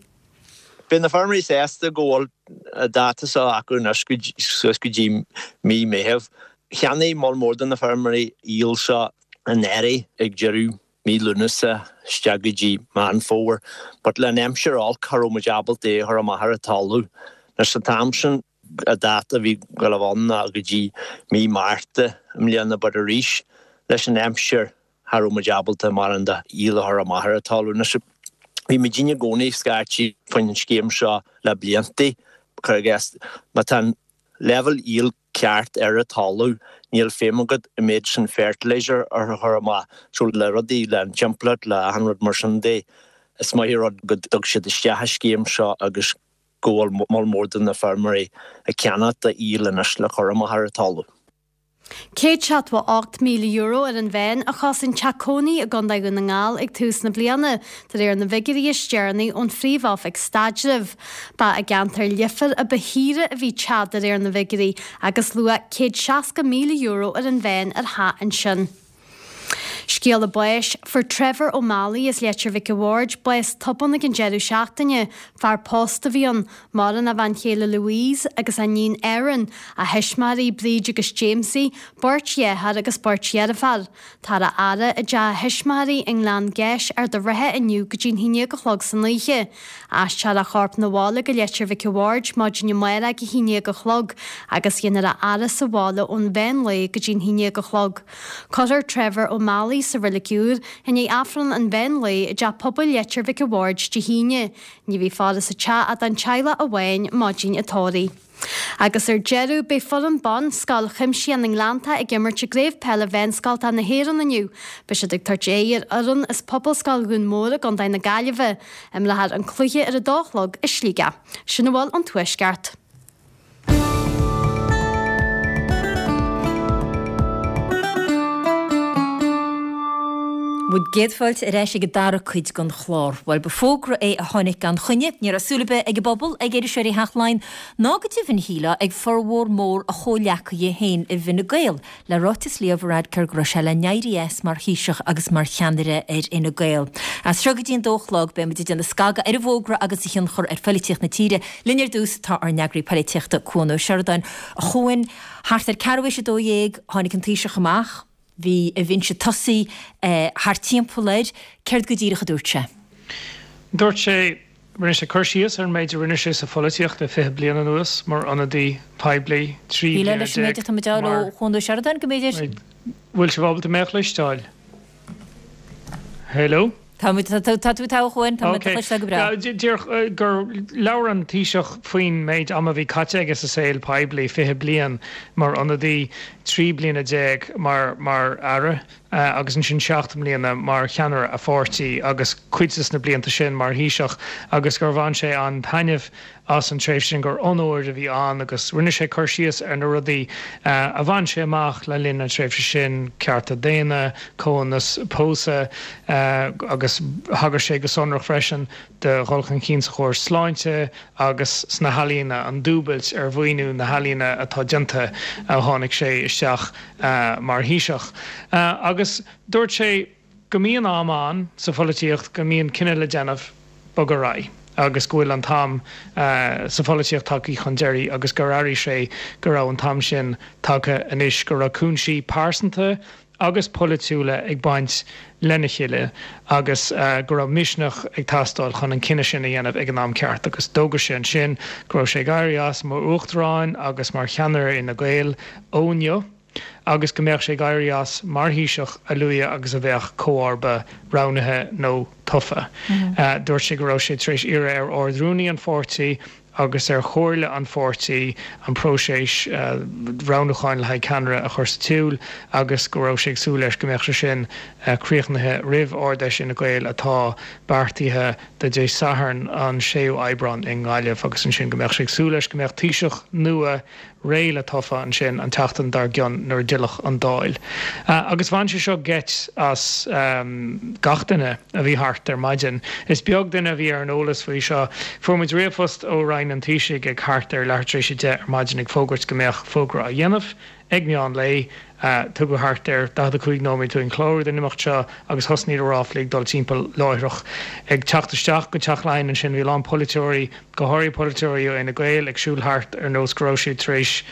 Beidh na feirmeoirí sásta go bhfuil dáta seo acu anois suas go dtí mí Meitheamh. Cheannaigh moll mór de na feirmeoirí aoil seo anuraidh ag deireadh mí Lúnasa isteach go dtí Meán Fómhair, but le an aimsir olc cha raibh muid ábalta é a chur amach ar an talamh. Anois an t-am sin an dáta a bhí ag gabháil a bheith ann ná go dtí mí Márta i mbliana, but arís leis an aimsir cha raibh muid ábalta mórán de fhuíoll a chur amach ar an talamh. Anois, bhí muidinne i gcónaí scaití faoin scéim seo le blianta, cuir i gcás, má tá an leibhéal aoil ceart ar an talamh, níl feidhm agat an méid sin fertilizer a chur amach. So le rudaí, le an timpeallacht, le achan rud mar sin de, is maith an rud go dtug siad isteach an scéim seo agus go bhfuil moll mór de na feirmeoirí ag ceannacht aoil anois le cur amach ar an talamh. Céad seachtó ocht míle euro ar an mheán a chosain teach cónaí i gContae Dhún na nGall ag tús na bliana, de réir na bhfigiúirí is deireanaí ón Phríomh-Oifig Staidrimh. Ba i gceantar Leifear a ba shaoire a bhí teach de réir na bhfigiúirí agus luach céad seasca míle euro ar an mheán ar theach ansin. Scéala báis, Fuair Trevor O'Malley as Leitir Mhic a' Bhaird bás tobann ag an deireadh seachtaine. Fear pósta a bhí ann. Maireann a bhean chéile Louise agus a iníon Erin, a thuismitheoirí Bríd agus Jamesie, beirt dheartháir agus beirt dheirféar. Táthar á fhaire i dteach a thuismitheoirí i nGleann Geis, Ard an Rátha inniu go dtí'n haon déag a chlog san oíche. Aistreofar a chorp 'na bhaile go Leitir Mhic a' Bhaird maidin amárach ag a haon déag a chlog agus dhéanfar a fhaire sa bhaile ón mheán lae go dtí'n haon déag a chlog. Cuirfear Trevor O'Malley sa Reilig Úr i ndiaidh Aifreann an mheán lae i dTeach Pobail Leitir Mhic a' Bhaird Dé hAoine. Ní bheidh faire sa teach ach don teaghlach amháin maidin an tórraimh. Agus ar deireadh, beidh foireann ban Scoil Chuimsitheach na nGleannta ag imirt i gCraobh Peile Mheánscoltacha na hÉireann inniu. Beidh siad ag tabhairt aghaidh ar fhoireann as Pobalscoil Dhún Mór i gContae na Gaillimhe. Imreofar an cluiche ar a dó a chlog i Sligeach. Sin a bhfuil ón Tuaisceart. Bhur gcéad fáilte ar ais ag an dara cuid den chlár. Bhuel, ba fógra é a tháinig gan choinne. Ní raibh súil ar bith ag an bpobal, ag iriseoirí Theach Laighean, ná go deimhin shílfeá ag formhór mór a chomhghleacaithe féin i bhFine Gael, le ráiteas Leo Varadkar go raibh sé le n-éirí as mar Thaoiseach agus mar cheannaire ar Fhine Gael. As seo go dtí an dó a chlog, beidh muid ag déanamh scagadh ar an bhfógra agus a thionchar ar phoilitíocht na tíre. Linn ar dtús tá ár n-eagraí poilitíochta, Cuan Ó Seireadáin. A Chuain, thart ar ceathrú théis a dó dhéag, tháinig an Taoiseach amach. Bhí a bhinse tosaigh thart timpeall air. Céard go díreach a dúirt sé? Dúirt sé, rinne sé cur síos ar an méid a rinne sé sa pholaitíocht le fiche bliain anuas mar ionadaí poiblí, trí Ní bliana leis an méid déag atá muid a fháil ó mar. Chuan Ó Seireadáin go mb'fhéidir? Bhfuil sibh ábalta mé a chloisteáil? Hello? Tá muid, tá tú togha a Chuain, tá muid do Ok. chloisteáil go breá. Díreach gur labhair an Taoiseach faoin méid ama a bhí caite aige sa saol poiblí, fiche bliain mar ionadaí, trí bliana déag mar mar aire agus ansin seacht mbliana mar cheannaire a pháirtí agus cuid des na blianta sin mar Thaoiseach agus gur bhain sé an-taitneamh as an tréimhse sin, gur onóir a bhí ann agus rinne sé cur síos ar na rudaí a bhain sé amach le linn na tréimhse sin, cearta daonna, comhionannas pósadh agus thagair sé go sonrach freisin do dhul chun cinn sa chóras sláinte agus sna healaíona, an dúbailt ar mhaoiniú na healaíona atá déanta ó tháinig sé isteach mar Thaoiseach. Agus dúirt sé go mbíonn am ann sa pholaitíocht go mbíonn cinneadh le déanamh, bogadh ar aghaidh agus go bhfuil an t-am sa pholaitíocht tagtha chun deiridh agus gur airigh sé go raibh an t-am sin tagtha anois, go raibh cúinsí pearsanta agus polaitiúla ag baint lena chéile agus go raibh misneach ag teastáil chun an cinneadh sin a dhéanamh ag an am ceart. Agus d'fhógair sé ansin go raibh sé ag éirí as mar Uachtarán agus mar cheannaire Fhine Gael ó inniu. agus go mbeadh sé ag éirí as mar Thaoiseach a luaithe agus a bheadh comharba roghnaithe nó tofa. Dúirt sé go raibh sé tar éis iarraidh ar Ard-Rúnaí an pháirtí agus ar Chomhairle an pháirtí an próiseas roghnúcháin le haghaidh ceannaire a chur sa tsiúl agus go raibh sé ag súil leis go mbeadh sé sin críochnaithe roimh Ard-Fheis Fhine Gael atá beartaithe do Dé Sathairn an séú Aibreán i nGaillimh agus ansin go mbeadh sé ag súil leis go mbeadh Taoiseach nua réidh le tofa ansin an tseachtain dár gcionn nuair a d'fhillfeadh an Dáil. Agus bhain sé seo geit as gach duine a bhí thart ar maidin. Is beag duine a bhí ar an eolas faoi seo. Fuair muid ríomhphost ó Roinn an Taoisigh ag thart ar leathuair tar éis a deich ar maidin ag fógairt go mbeadh fógra á dhéanamh ag meán lae. Tugadh thart ar daichead a cúig nóiméad dúinn clárú don imeacht seo agus thosnaigh na ráflaí ag dul timpeall láithreach. Ag teacht isteach go Teach Laighean ansin bhí a lán polaiteoirí, go háirithe polaiteoirí ó Fhine Gael, ag siúl thart ar nós go raibh siad tar éis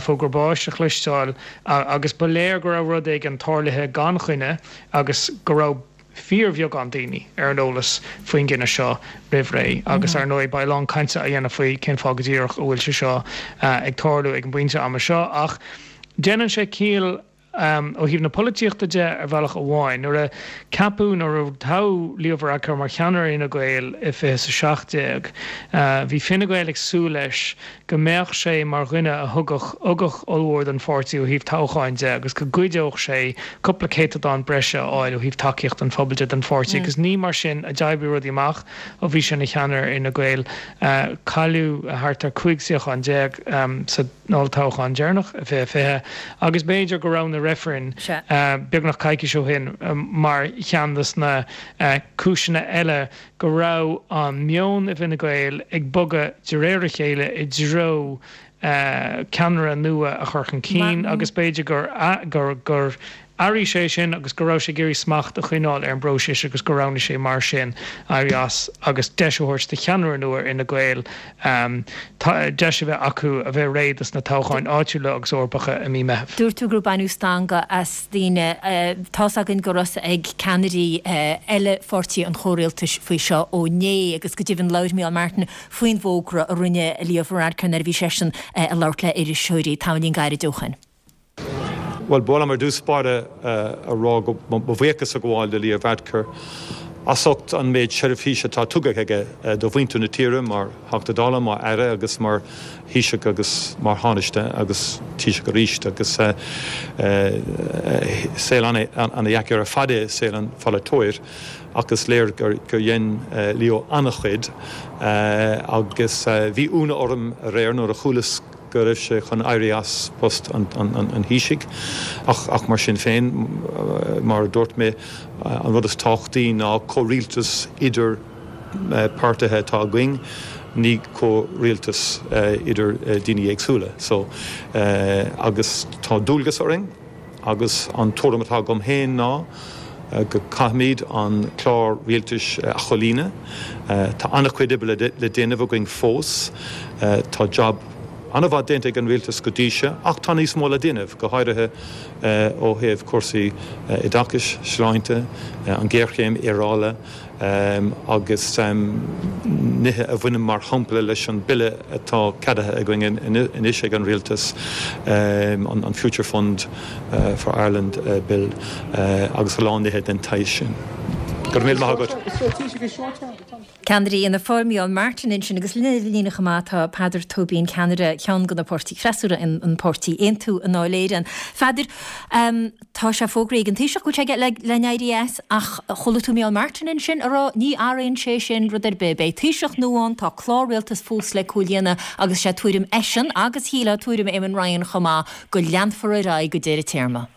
fógra báis a chloisteáil agus ba léir go raibh rud éigin tarlaithe gan choinne agus go raibh fíorbheagán daoine ar an eolas faoin gcinneadh seo roimh ré agus ar ndóigh beidh a lán cainte á dhéanamh faoi cén fáth go díreach a bhfuil sé seo ag tarlú ag an bpointe ama seo ach déanann sé ciall Ó thaobh na polaitíochta de, ar bhealach amháin, nuair a ceapadh, nuair a toghadh Leo Varadkar mar cheannaire Fhine Gael i fiche is a seacht déag, bhí Fine Gael ag súil leis go mbeadh sé mar dhuine a thugadh ugach ollmhór don pháirtí ó thaobh toghcháin de agus go gcuideodh sé cúpla céatadán breise a fháil ó thaobh tacaíocht an phobail de don pháirtí agus ní mar sin a d'oibrigh rudaí amach ó bhí sé ina cheannaire ar Fhine Gael. Cailleadh thart ar cúig suíochán déag sa olltoghchán deireanach i fiche fiche agus b'fhéidir go raibh na reifrinn beagnach coicís ó shin mar cheann de na cúiseanna eile go raibh an meon i bhFine Gael ag bogadh de réir a chéile i dtreo ceannaire nua a chur chun cinn agus b'fhéidir gur gur airigh sé sin agus go raibh sé ag iarraidh smacht a choinneáil ar an bpróiseas agus gur roghnaigh sé mar sin éirí as agus deis a thabhairt do cheannaire nua ar Fhine Gael deis a bheith acu a bheith réidh dos na toghcháin áitiúla agus Eorpacha i mí Meitheamh. Dúirt tú gur baineadh stangadh as daoine. Tá's againn go raibh a fhios ag ceannairí eile pháirtí an chomhrialtais faoi seo ó inné agus go deimhin labhair Micheál Martin faoin bhfógra a rinne Leo Varadkar nuair a bhí seisean ag labhairt le iriseoirí tamaillín gairid ó shin. Bhuel, ba mhaith liom ar dtús báire a rá go mo bhuíochas a ghabháil do Leo Varadkar as ucht an méid seirbhíse atá tugtha aige do mhuintir na tíre mar Theachta Dála, mar Aire agus mar Thaoiseach agus mar Thánaiste agus Taoiseach arís agus saol ana-dheacair ar fad é saol an pholaiteoir ach is léir gur dhein Leo an-chuid agus bhí ionadh orm aréir nuair a chualas go raibh sé chun éirí as post an Thaoisigh ach mar sin féin, mar a dúirt mé, an rud is tábhachtaí ná comhrialtas idir páirtithe atá againn, ní comhrialtas idir daoine éagsúla. So, agus tá dualgas orainn agus an tuairim atá agam féin ná go gcaithfimid an clár rialtais a chomhlíonadh. Tá an-chuid oibre le déanamh againn fós. Tá jab an-mhaith déanta ag an rialtas go dtí seo ach tá níos mó le déanamh, go háirithe ó thaobh cúrsaí oideachais, sláinte, an ghéarchéim aeráide agus nithe a bhaineann mar shampla leis an bille atá ceadaithe againn anois ag an rialtas, an Future Fund for Ireland Bill agus a lán nithe den tsaghas sin. Go raibh míle maith agat. Ceannairí Fhianna Fáil, Micheál Martin ansin agus linn ar an líne chomh maith tá Peadar Tóibín, ceannaire cheann de na páirtí freasúra, an páirtí Aontú i nDáil Éireann. Pheadair, tá sé fógraithe ag an Taoiseach go bhfuil sé le n-éirí as ach chuala tú Micheál Martin ansin a rá ní athraíonn sé sin rud ar bith. Beidh Taoiseach nua ann, tá clár rialtais fós le comhlíonadh agus sé tuairim eisean agus shílfeá tuairim Eamon Ryan chomh maith go leanfar ar aghaidh go deireadh téarma.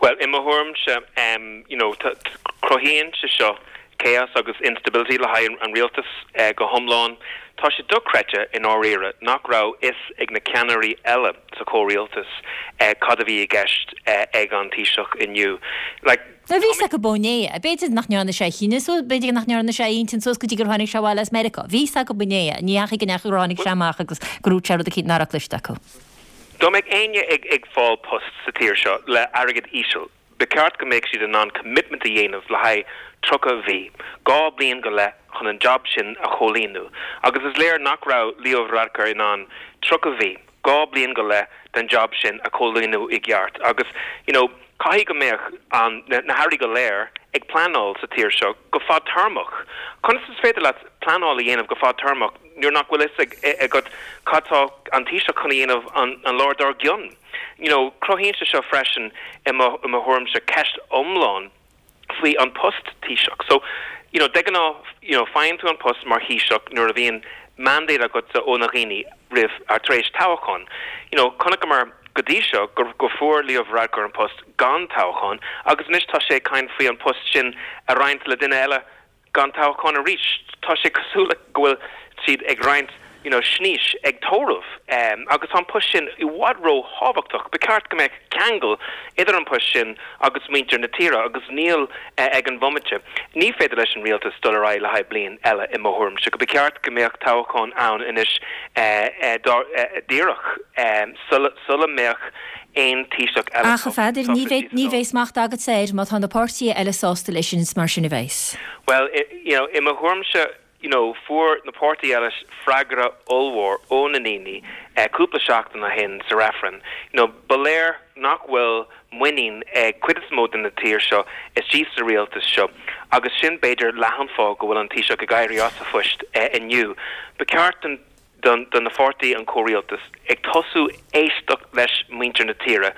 Bhuel, i mo thuairimse, you know, cruthaíonn sé seo chaos agus instability le haghaidh an rialtas go hiomlán. Tá sé dochreidte i ndáiríre nach raibh fhios ag na ceannairí eile sa chomhrialtas cad a bhí i gceist ag an Taoiseach inniu. Like, Bhí fhios acu ó inné, b'fhéidir nach ndearna sé a chinneadh suas, b'fhéidir nach ndearna sé a intinn suas go dtí gur tháinig sé abhaile as Meiriceá. Bhí fhios acu inné, ní dheachaigh go ndeachaigh gur tháinig sé amach agus gur dhúirt sé rud eicínt nach raibh cloiste acu. Dá mbeadh éinne ag ag fáil post sa tír seo le airgead íseal, Ba cheart go mbeadh siad in ann commitment a dhéanamh le haghaidh tríocha mhí, dhá bliain go leith chun an job sin a chomhlíonadh agus is léir nach raibh Leo Varadkar in ann tríocha mhí, dhá bliain go leith den job sin a chomhlíonadh i gceart agus you know caithfidh go mbeadh an, na hairí go léir ag pleanáil sa tír seo go fadtéarmach. Conas is féidir leat pleanáil a dhéanamh go fadtéarmach nuair nach bhfuil fhios agat cad tá an Taoiseach chun a dhéanamh an lá dár gcionn? You know, cruthaíonn sé seo freisin, i mo, i mo thuairimse, ceist iomlán faoi an post Taoiseach. So, you know, de ghnáth, you know, faigheann tú an post mar Thaoiseach nuair a bhíonn mandate agatsa ó na dhaoine roimh, or tar éis toghchán. You know, chonaiceamar go dtí seo go, go fuair Leo Varadkar an post gan toghchán agus anois tá sé ag caint faoi an post sin a roinnt le duine eile gan toghchán arís. Tá sé cosúil le go bhfuil siad ag roinnt you know snaois ag tórramh agus tá an post sin i bhfad ró-thábhachtach. Ba cheart go mbeadh ceangal idir an post sin agus muintir na tíre agus níl ag an bhomaite. Ní féidir leis an rialtas dul ar aghaidh le haghaidh bliain eile i mo thuairimse. Ba cheart go mbeadh toghchán ann anois díreach sula mbeadh aon Taoiseach eile Ach, a Pheadair, ní bheidh, ní bheidh smacht agatsa air má tá na páirtithe eile sásta leis sin, is mar sin a bheas. Bhuel, you know, i mo thuairimse, you know, fuair na páirtithe eile freagra ollmhór ó na ndaoine cúpla seachtain ó shin sa reifreann. You know, ba léir nach bhfuil muinín ag cuid is mó den na tír seo istigh sa rialtas seo agus sin b'fhéidir leath an fáth go bhfuil an Taoiseach ag éirí as a phost inniu. Ba cheart don don don na pháirtí an comhrialtas ag tosú éisteacht leis muintir na tíre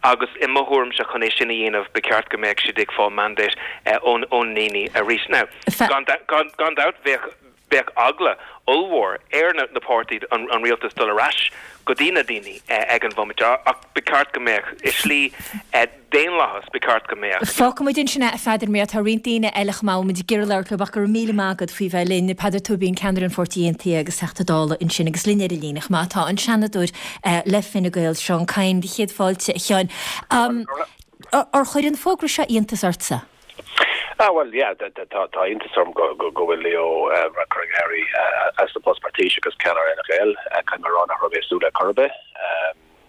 agus i mo thuairimse chun é sin a dhéanamh ba cheart go mbeadh siad ag fáil mandate ón ón ndaoine arís. Now gan gan gan dabht bheadh bheadh eagla ollmhór ar na na páirtí an an rialtas dul ar ais go dtí na daoine ag an bhomaite ach ba cheart go mbeadh i slí daonlathas ba cheart go mbeadh. Fágfaimid ansin é a Pheadair mar tá roinnt daoine eile chomh maith muid ag iarraidh labhairt leo ach go raibh míle maith agat faoi bheith linn. Peadar Tóibín ceannaire an Pháirtí Aontaithe agus Teachta Dála ansin agus linn ar an líne chomh maith tá an Seanadóir le Fine Gael Seán Kyne céad fáilte a Sheáin. Ar chuir an fógra seo iontas ortsa? Ah well yeah tá tá iontas orm go go go bhfuil Leo Varadkar ag éirí as a post mar Taoiseach agus ceannaire Fhine Gael caithfidh mé a rá nach raibh mé ag súil le chor ar bith.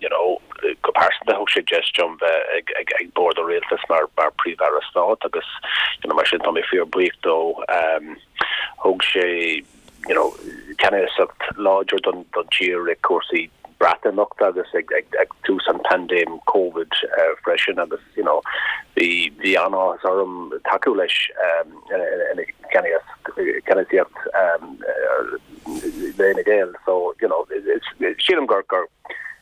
You know go pearsanta thug sé deis dom bheith ag ag ag bord an rialtas mar mar príomh-aire stáit agus you know mar sin tá mé fíor buíoch dó um, thug sé you know ceannasacht láidir don don tír ag cúrsaí Breatimeachta agus ag ag ag tús an pandéim COVID uh, freisin agus you know bhí bhí an-áthas orm tacú leis um, ina ceannasaíocht um, le Fine Gael so you know sílim gur gur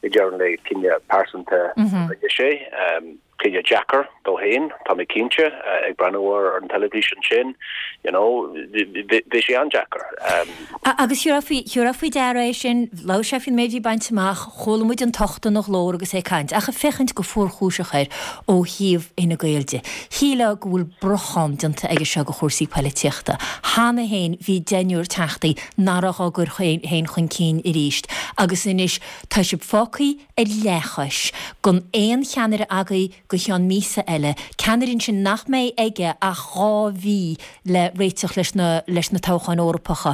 i deireadh an lae cinneadh pearsanta rinne sé um, cinneadh deacair dó féin tá mé cinnte uh, ag breathnú ar an teilifís sin you know bhí sé an-deacair um, Agus thiúrfá faoi deara é sin labhair sé faoin méid a bhí bainte amach chuala muid an tocht ina ghlór agus é ag caint ach ag féachaint go fuarchúiseach air ó thaobh Fhine Gael de. Shílfeá go bhfuil brochán déanta aige seo go chúrsaí polaitíochta. Cheana féin bhí deichniúr teachtaí nach raibh á gcur féin chun cinn arís, agus anois tá sibh fágtha ar leathchois gan aon cheannaire agaibh go ceann míosa eile, ceannaire sin nach mbeidh aige ach dhá mhí le réiteach leis na leis na toghcháin Eorpacha.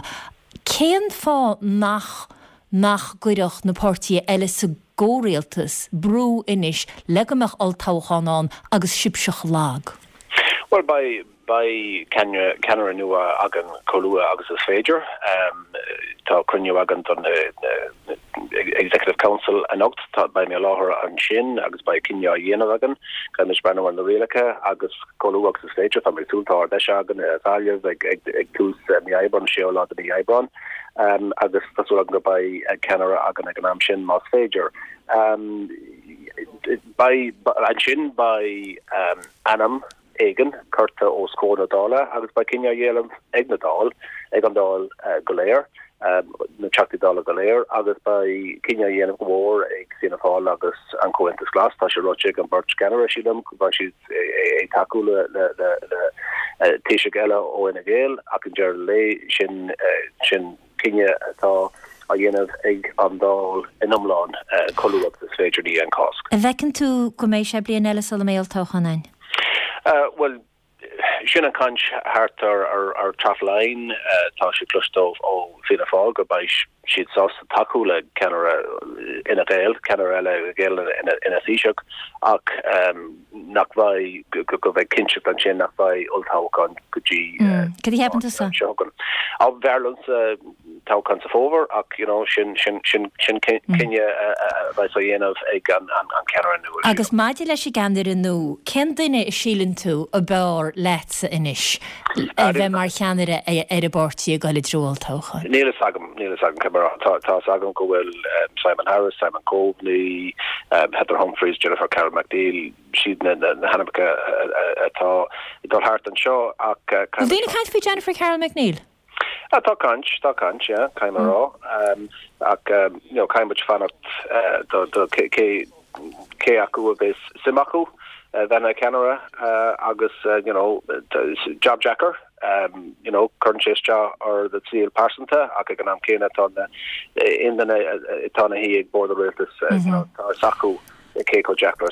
Cén fáth nach nach gcuirfeadh na páirtithe eile sa gcomhrialtas brú anois le go mbeadh olltoghchán ann agus sibhse lag. Well beidh beidh ceannaire nua againn chomh luath agus is féidir. Um, tá cruinniú againn don uh, Executive Council anocht tá beidh mé i láthair ansin agus beidh cinneadh á dhéanamh againn caithfimid breathnú ar na rialacha agus chomh luath agus is féidir tá mé ag súil tá deis againn i Gaillimh ag ag ag tús mí Aibreáin séú lá de mí Aibreáin um, agus tá súil agam go beidh ceannaire againn ag an am sin más féidir. Um, beidh ansin beidh um, ainm éigin curtha os comhair na Dála agus beidh cinneadh á dhéanamh ag na Dáil ag an Dáil uh, go léir um, na Teachtaí Dála go léir agus beidh cinneadh á dhéanamh go mór ag Fianna Fáil agus an Comhaontas Glas tá sé ráite ag an bheirt cheannaire sílim go beidh siad ag tacú le le le le Taoiseach eile ó Fhine Gael ach an deireadh lae sin sin cinneadh atá á dhéanamh ag an Dáil in iomlán chomh luath agus is féidir i ndiaidh an Cháisc. An bhfeiceann tú go mbeidh sé bliain eile sula mbeidh olltoghchán ann? Uh, well sin an caint thart ar ar ar trafline uh, tá sé cloiste ó Fianna Fáil go beidh siad sásta tacú le ceannaire Fhine Gael ceannaire eile Gael ina ina Thaoiseach ach um, nach bheidh go go bheidh cinnteacht ansin nach bheidh olltoghchán go dtí Cad a cheapann tusa? Á b'fhearr liomsa toghchán sa fómhar ach you know sin sin sin sin cinneadh a bheidh á dhéanamh ag an an an ceannaire nua. Agus maidir leis an gceannaire nua, cén duine a síleann tú a b'fhearr leatsa anois a bheith mar cheannaire ar an bpáirtí ag dul i dtreo olltoghcháin? Níl a fhios agam níl a fhios agam cé tá tá agam go bhfuil um, Simon Harris, Simon Coveney, um, Heather Humphreys, Jennifer Carroll MacNeill siad na na na hainmneacha atá ag dul thart anseo ach uh, Bhfuil daoine ag caint faoi Jennifer Carroll MacNeill? Ah, tá caint tá caint yeah, caithfidh mé rá um, ach um, you know, caithfidh muid fanacht uh, do, do cé cé cé acu a bheas suim acu uh, bheith ina ceannaire uh, agus uh, you know, job deacair um, you know, cuireann sé isteach ar do shaol pearsanta ach ag an am céanna tá aon duine atá ina shuí ag bord an rialtas uh, you know, tá acu cé chomh deacair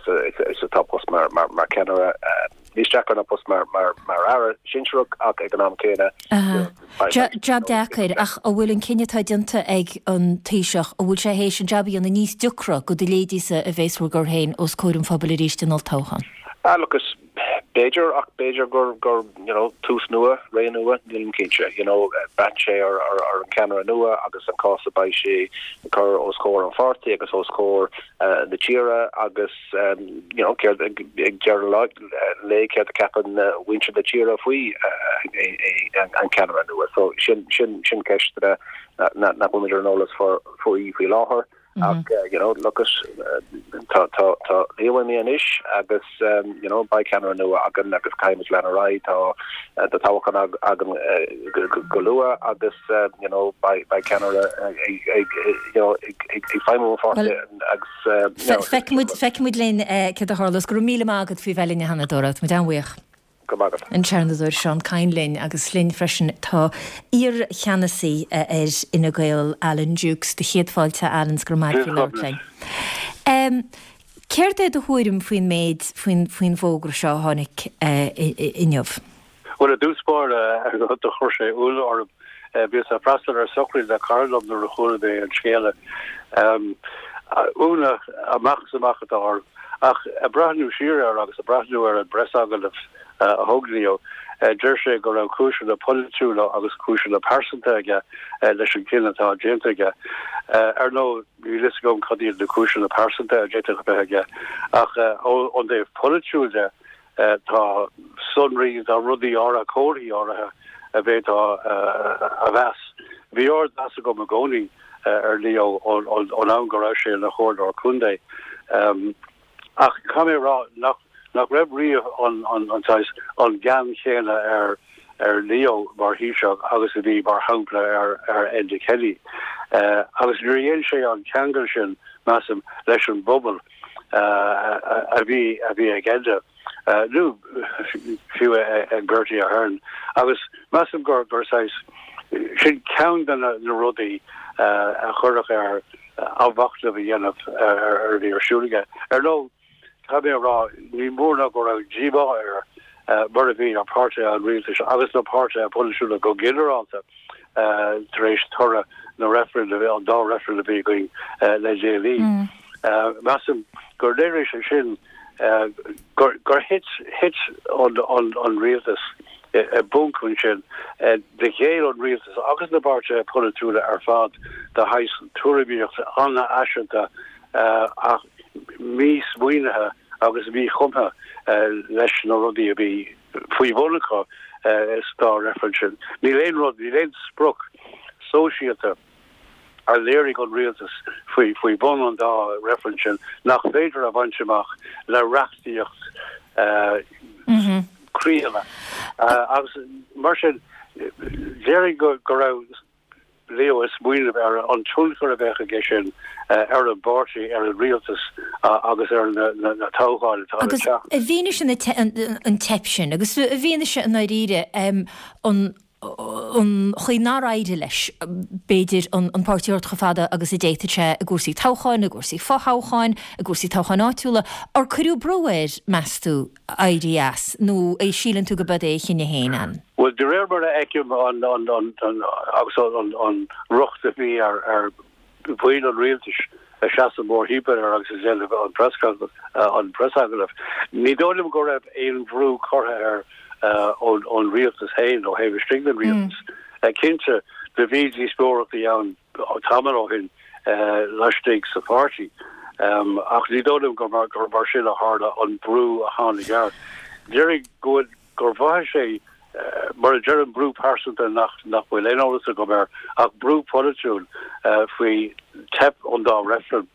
is atá post mar mar mar ceannaire uh, níos deacra ná post mar mar mar aire sinsearach ach ag an am céanna Job deacair ach an bhfuil an cinneadh atá déanta ag an Taoiseach an bhfuil sé théis an job a dhéanamh níos deacra do do leithéidíse a bheas bhur gcur féin os comhair an phobail arís in olltoghchán. Ah, look, is B'fhéidir ach b'fhéidir gur gur you know tús nua, ré nua, nílim cinnte. You know braitheann sé ar ar ar an ceannaire nua agus an cás a beidh sé ag cur os comhair an pháirtí agus os comhair uh, na tíre agus um, you know céard ag deireadh an lae céard a cheapann uh, muintir na tíre faoi uh, an ceannaire nua. So sin sin sin ceist uh, na na bhfuil ar an eolas faoi faoi láthair. Mm -hmm. Ach uh, you know look uh, tá tá tá Leo imithe anois agus um, you know beidh ceannaire nua againn agus caithfimid leanúint ar aghaidh tá uh, tá toghchán againn uh, go luath agus uh, you know beidh beidh ceannaire you know ag feidhmiú agus Feicfimid feicfimid linn céard a tharlós go raibh míle maith agat faoi bheith linn a Sheanadóra muid an-bhuíoch. An Seanadóir Seán Kyne linn agus linn freisin tá iar-cheannasaí ar Fhine Gael Alan Dukes de chéad fáilte Alan go raibh maith linn. Um, Céard é do thuairim faoin méid faoin faoin bhfógra seo a tháinig uh, inniu? Well i dtús báire do chuir sé ionadh orm bhíos ag freastal ar sochraid le cara liom nuair a chuala mé an scéala. Um, ionadh amach is amach atá orm ach ag breathnú siar air agus ag breathnú ar an bpreasagallamh a thug Leo. Deir sé go raibh cúiseanna polaitiúla agus cúiseanna pearsanta aige leis an gcinneadh atá déanta aige. Ar ndóigh níl a fhios agam cad iad na cúiseanna pearsanta a d'fhéadfadh a bheith aige ach ón dtaobh polaitiúil de tá sonraí tá rudaí áirithe comharthaí áirithe a bhféadfá a mheas. Bhí ardmheas agam i gcónaí ar Leo ón am go raibh sé ina chomhairleoir contae. Ach caithfidh mé a rá nach nach raibh riamh an an an saghas an gean chéanna ar ar Leo mar Thaoiseach agus a bhí mar shampla ar ar Enda Kenny. Uh, agus níor dhein sé an ceangal sin measaim leis an bpobal uh, a bhí a bhí ag Enda. Uh, nó fiú ag Bertie Ahern. Agus measaim gur gur saghas sin ceann de na, na rudaí uh, a chuirfeadh air athmhachnamh a dhéanamh ar ar a bhí ar siúl aige. Ar ndóigh caithfidh mé a rá ní mór ná go raibh díomá air mar a bhí ar pháirtithe an rialtais agus na páirtithe polaitiúla go ginearálta tar éis toradh na reifreann an dá reifreann a bhí againn le déanaí. Measaim gur léirigh sé sin gur gur thit thit an an an rialtas i bponc ansin do ghéill an rialtas agus na páirtithe polaitiúla ar fad do shaghas tuairimíocht an-fhaiseanta ach mísmaoinithe agus míchumtha leis na rudaí a bhí faoi bhun acu sa dá reifreann sin. Níl aon rud, níl aon sprioc sóisialta a léirigh an rialtas faoi faoi bhun an dá reifreann sin nach féidir a bhaint amach le reachtaíocht críonna. Agus mar sin léirigh go go raibh Leo ag smaoineamh ar an tionchar a bheadh aige sin ar an bpáirtí, ar an rialtas agus ar na toghcháin atá le Agus teacht. i bhfianaise an teip sin, agus i bhfianaise i ndáiríre an an chaoi nár éirigh leis, b'fhéidir an an páirtí a thabhairt chomh fada agus a d'fhéadfadh sé i gcúrsaí toghcháin, i gcúrsaí fothoghcháin, i gcúrsaí toghcháin áitiúla, ar cuireadh brú air, meas tú, éirí as, nó é síleann tú go b'é a chinneadh féin an? Bhuel, de réir mar a fheicim an an an an agus an an riocht a bhí ar ar bhaill an rialtais a seasamh mórthimpeall air agus ag déanamh an preasagallamh an preasagallamh, ní dóigh liom go raibh aon bhrú curtha air ón ón rialtas féin ó thaobh istigh den rialtas. Cinnte, do bhí díospóireachtaí ann tamall ó shin laistigh sa pháirtí, ach ní dóigh liom gur mar gur mar sin a tharla an brú a tháinig air. Déarfainn go bhfuil gur mhothaigh sé mar a deirim brú pearsanta nach nach bhfuil aon eolas agam air ach brú polaitiúil faoi teip an dá reifreann.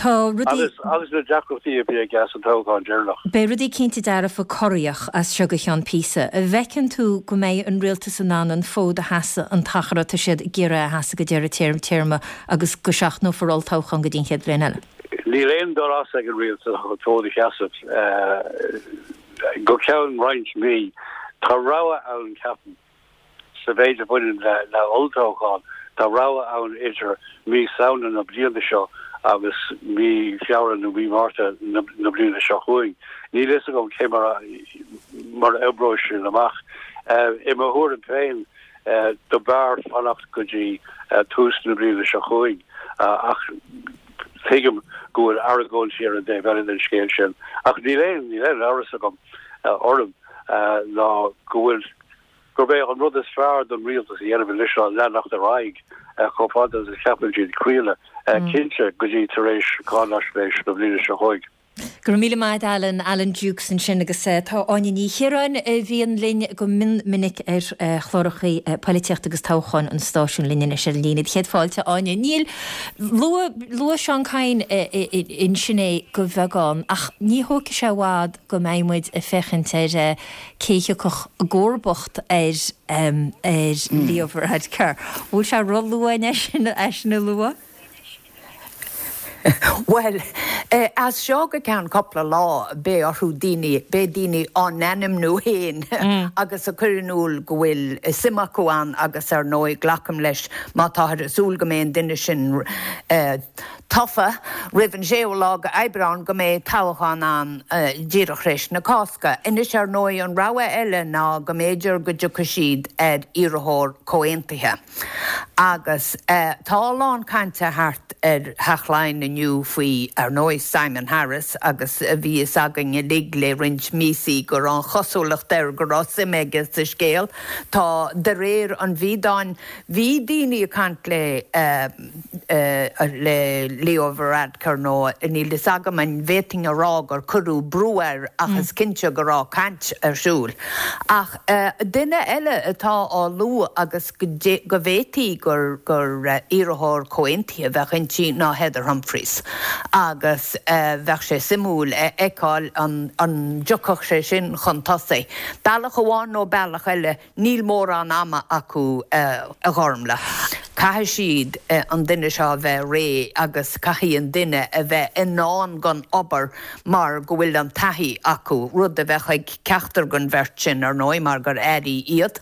Tá rudaí. Agus agus na deacrachtaí a bhí aige sa toghchán deireanach. Beidh rudaí cinnte dearfa corraíoch as seo go ceann píosa. An bhfeiceann tú go mbeidh an rialtas in ann an fód a sheasamh an t-achar atá siad ag iarraidh a sheasamh go deireadh téarma agus go seachnófar olltoghchán go dtí an chéad bhliain eile? Níl aon dul as ag an rialtas ach an fód a sheasamh go ceann roinnt mí. Tá rogha ann ceapaim sa mhéid a bhaineann le le olltoghchán, tá rogha ann idir mí Samhna na bliana seo agus mí Feabhra nó mí Márta na na bliana seo chugainn. Níl a fhios agam cé mar a mar a oibreoidh sin amach. I mo thuairim féin do b'fhearr fanacht go dtí tús na bliana seo chugainn ach tuigim go bhfuil argóintí ar an dtaobh eile den scéal sin. Ach níl aon níl aon amhras agam orm ná go bhfuil gurb é an rud is fearr don rialtas a dhéanamh anois ná leanacht ar aghaidh chomh fada is a cheapann siad craoladh, cinnte go dtí tar éis cáinaisnéis na bliana seo chugainn. Go raibh míle maith agat Alan, Alan Dukes ansin agus tá Áine Ní Chiaráin a bhíonn linn go mion minic ar chláracha polaitíochta agus toghcháin an stáisiúin linn anois ar an líne. Céad fáilte Áine. Níl luadh luadh Seán Kyne ansin é go bheagán ach ní thógfaidh sé i bhfad go mbeidh muid ag féachaint ar cé thiocfadh i gcomharbacht ar ar Leo Varadkar. Bhfuil sé ró-luath é sin é sin a lua? Bhuel, as seo go ceann cúpla lá beidh orthu daoine, beidh daoine á n-ainmniú féin agus a chur in iúl go bhfuil suim acu ann agus ar ndóigh glacaim leis má táthar ag súil go mbeidh an duine sin tofa roimh an séú lá d'Aibreán go mbeidh toghchán ann díreach tar éis na Cásca. Anois ar ndóigh an rogha eile ná go mb'fhéidir go dtiocfaidh siad ar iarrthóir comhaontaithe. Agus tá a lán cainte thart ar Theach Laighean inniu faoi, ar ndóigh, Simon Harris agus bhí fhios againn uilig le roinnt míosaí go raibh an chosúlacht air go raibh suim aige sa scéal. Tá, de réir an bhídeáin, bhí daoine ag caint le le Leo Varadkar nó níl fhios agam an bhféadfainn a rá gur cuireadh brú air ach is cinnte go raibh caint ar siúl. Ach duine eile atá á lua agus go bhféadfaí gur gur iarrthóir comhaontaithe a bheadh inti ná Heather Humphreys agus bheadh sé suimiúil a fheiceáil an an dtiocfadh sé sin chun tosaigh. Bealach amháin nó bealach eile, níl mórán ama acu a Ghormlaith. Caithfidh siad an duine seo a bheith réidh agus caithfidh an duine a bheith in ann don obair mar go bhfuil an taithí acu, rud a bheadh ag ceachtar den bheirt sin, ar ndóigh, mar gur airí iad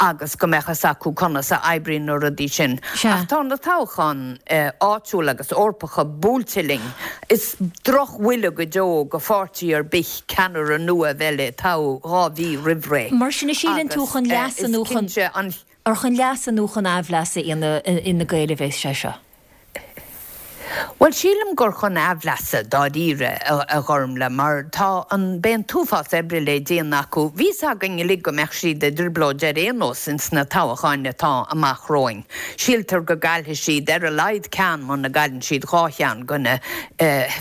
agus go mbeadh fhios acu conas a oibríonn na rudaí sin. Ach tá na toghcháin áitiúla agus Eorpacha buailte linn. Is drochbhuille go deo do pháirtí ar bith ceannaire nua a bheith le toghadh dhá mhí roimh ré. Mar sin, síleann tú Agus chun leasa is nó chun cinnte an. Ar chun leasa nó chun aimhleasa Fhine Gael a bheas sé seo? Bhuel, sílim gur chun aimhleasa, dáiríre, a Ghormlaith, mar tá an, beidh an t-uafás oibre le déanamh acu. Bhí fhios againn uilig go mbeadh siad i dtrioblóid ar aon nós ins na toghcháin atá amach romhainn. Síltear go gcaillfidh siad ar a laghad ceann muna gcailleann siad dhá cheann de na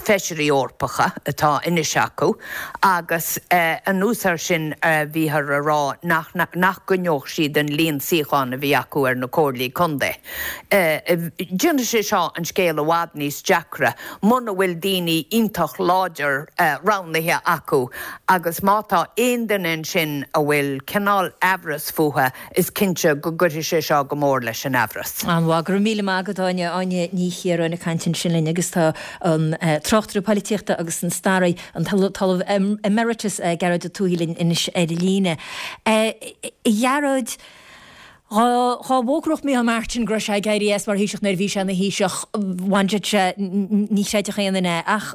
feisirí Eorpacha atá anois acu agus anuas air sin bhíothar a rá nach nach gcoinneodh siad an líon suíochán a bhí acu ar na comhairlí contae. Déanfaidh sé seo an scéal i bhfad níos deacra muna bhfuil daoine iontach láidir roghnaithe acu agus má tá aon duine ansin a bhfuil cineál aimhreas fúthu is cinnte go gcuirfidh sé seo go mór leis an aimhreas. An-mhaith, go raibh míle maith agat Áine, Áine Ní Chiaráin ag caint ansin linn agus tá an tráchtaire polaitíochta agus an staraí, an tOllamh Emeritus Gearóid Ó Tuathaigh linn anois ar líne. A Ghearóid, Dá bhfógródh Micheál Martin go raibh sé ag éirí as mar Thaoiseach nuair a bhí sé ina Thaoiseach, bhainfeadh sé, ní chreidfeadh aon duine é. Ach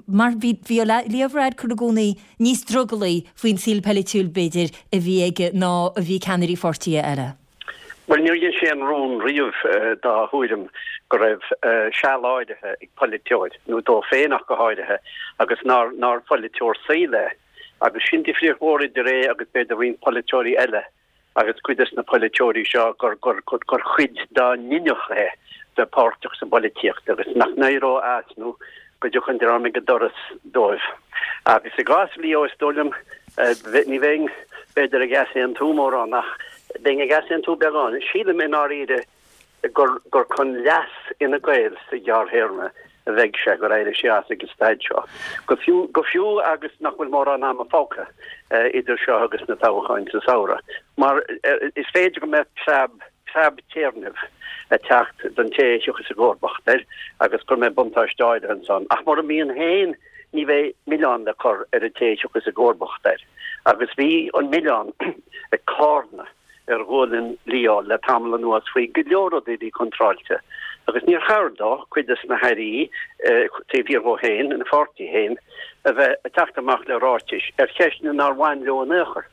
mar bhí bhí Leo Varadkar i gcónaí níos drogallaí faoin saol polaitiúil, b'fhéidir, a bhí aige ná a bhí ceannairí pháirtithe eile. Bhuel, níor dhein sé aon rún riamh dá thuairim go raibh seal áirithe ag polaiteoir, nó dó féin ach go háirithe, agus nár nár pholaiteoir saoil é. Agus sin difríocht mhór idir é agus b'fhéidir roinnt polaiteoirí eile. agus cuid des na polaiteoirí seo gur gur gur chuid dá n-inneach é bheith páirteach sa bpolaitíocht agus nach n-éireodh as nó go dtiocfadh an dream ag an doras dóibh. Agus i gcás Leo is dóigh liom ní bheinn b'fhéidir ag easaontú mórán ach bheinn ag easaontú beagán. Sílim i ndáiríre gur gur chun leas Fhine Gael sa ghearrthéarma a bheidh sé gur éirigh sé as ag an staid seo. Go fiú go fiú agus nach bhfuil mórán ama fágtha idir seo agus na toghcháin sa samhradh. Mar is féidir go mbeadh preab preab téarnaimh ag teacht don té a thiocfas i gcomharbacht air agus go mbeidh buntáiste áirithe ansan. Ach mura mbíonn féin ní bheidh milleán le cur ar an té a thiocfas i gcomharbacht air. Agus bhí an milleán ag carnadh ar ghualainn Leo le tamall anuas faoi go leor rudaí a bhí contráilte agus níor chabhair dó cuid des na hairí taobh thiar dhó féin, ina pháirtí féin, a bheith ag teacht amach le ráitis ar cheisteanna nár bhain leo in aon chor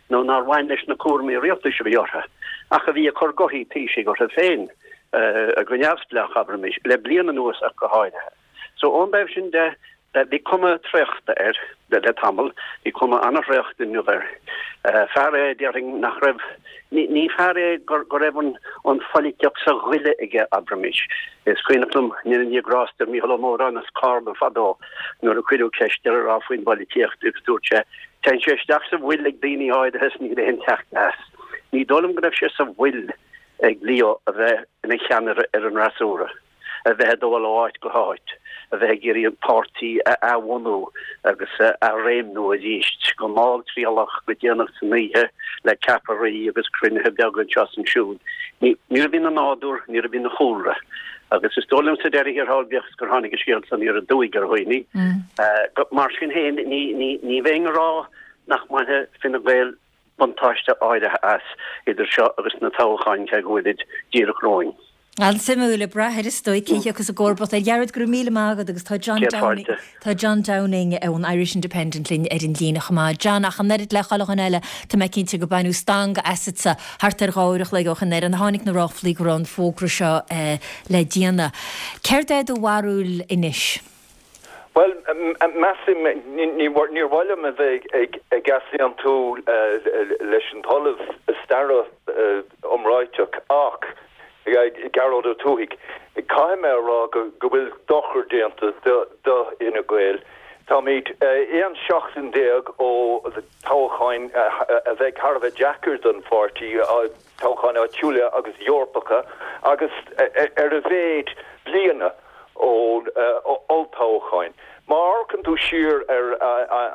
nó nár bhain leis na cúraimí rialtais a bhí orthu ach a bhí ag cur gothaí taoisigh orthu féin go neamhspleách, abraimis, le bliain anuas ach go háirithe. So ón dtaobh sin de, Bhí cuma traochta air le tamall, bhí cuma an-thraochta inniu air. Fear é, déarfainn, nach raibh, ní fear é go raibh an pholaitíocht sa ghoile aige, abraimis. Is cuimhneach liom, go ndéana Dia grásta ar Mhícheál Ó Móráin as Carna fadó nuair a cuireadh ceist air a rá faoin bpolaitíocht agus dúirt sé, Téann sé isteach sa bhfuil ag daoine áirithe is níl aon teacht as. Ní dóigh liom go raibh sé sa bhfuil ag Leo a bheith ina cheannaire ar an fhreasúra. a bheith ag dul ó áit go háit, a bheith ag iarraidh an páirtí a athbhunú agus a athréimniú arís, go malltriallach, go déanach san oíche, le ceapairí agus cruinnithe beaga anseo is ansiúd. Ní níorbh in a nádúr, níorbh ina chúlra. Agus is dóigh liom sa deireadh thiar thall, bíodh is gur tháinig an scéal san aniar aduaidh ar dhaoine, mar sin féin, ní ní ní bheinn ag rá nach mbainfidh Fine Gael buntáiste áirithe as, idir seo agus na toghcháin, cé go bhfuilid díreach romhainn. An-suimiúil ag brath air is dóigh cé thiocfas i gcomharbacht air. A Ghearóid, go raibh míle maith agat agus tá John Downing, tá John Downing ón Irish Independent linn ar an líne chomh maith. John, ach an oiread le chuile dhuine eile, tá mé cinnte gur baineadh stangadh asatsa thart ar dhá uair a chloig ó shin nuair a tháinig na ráflaí go raibh an fógra seo le déanamh. Céard é do bharúil anois? Bhuel, measaim, níor mhaith liom a bheith ag easaontú leis an t-ollamh staire iomráiteach ach, Gearóid Ó Tuathaigh, caithfidh mé a rá go bhfuil dochar déanta do Fhine Gael. Táimid aon seachtain déag ó toghcháin a bheidh thar a bheith deacair don pháirtí, toghcháin áitiúla agus Eorpacha, agus ar a mhéad bliana ó olltoghcháin. Má amharcann tú siar ar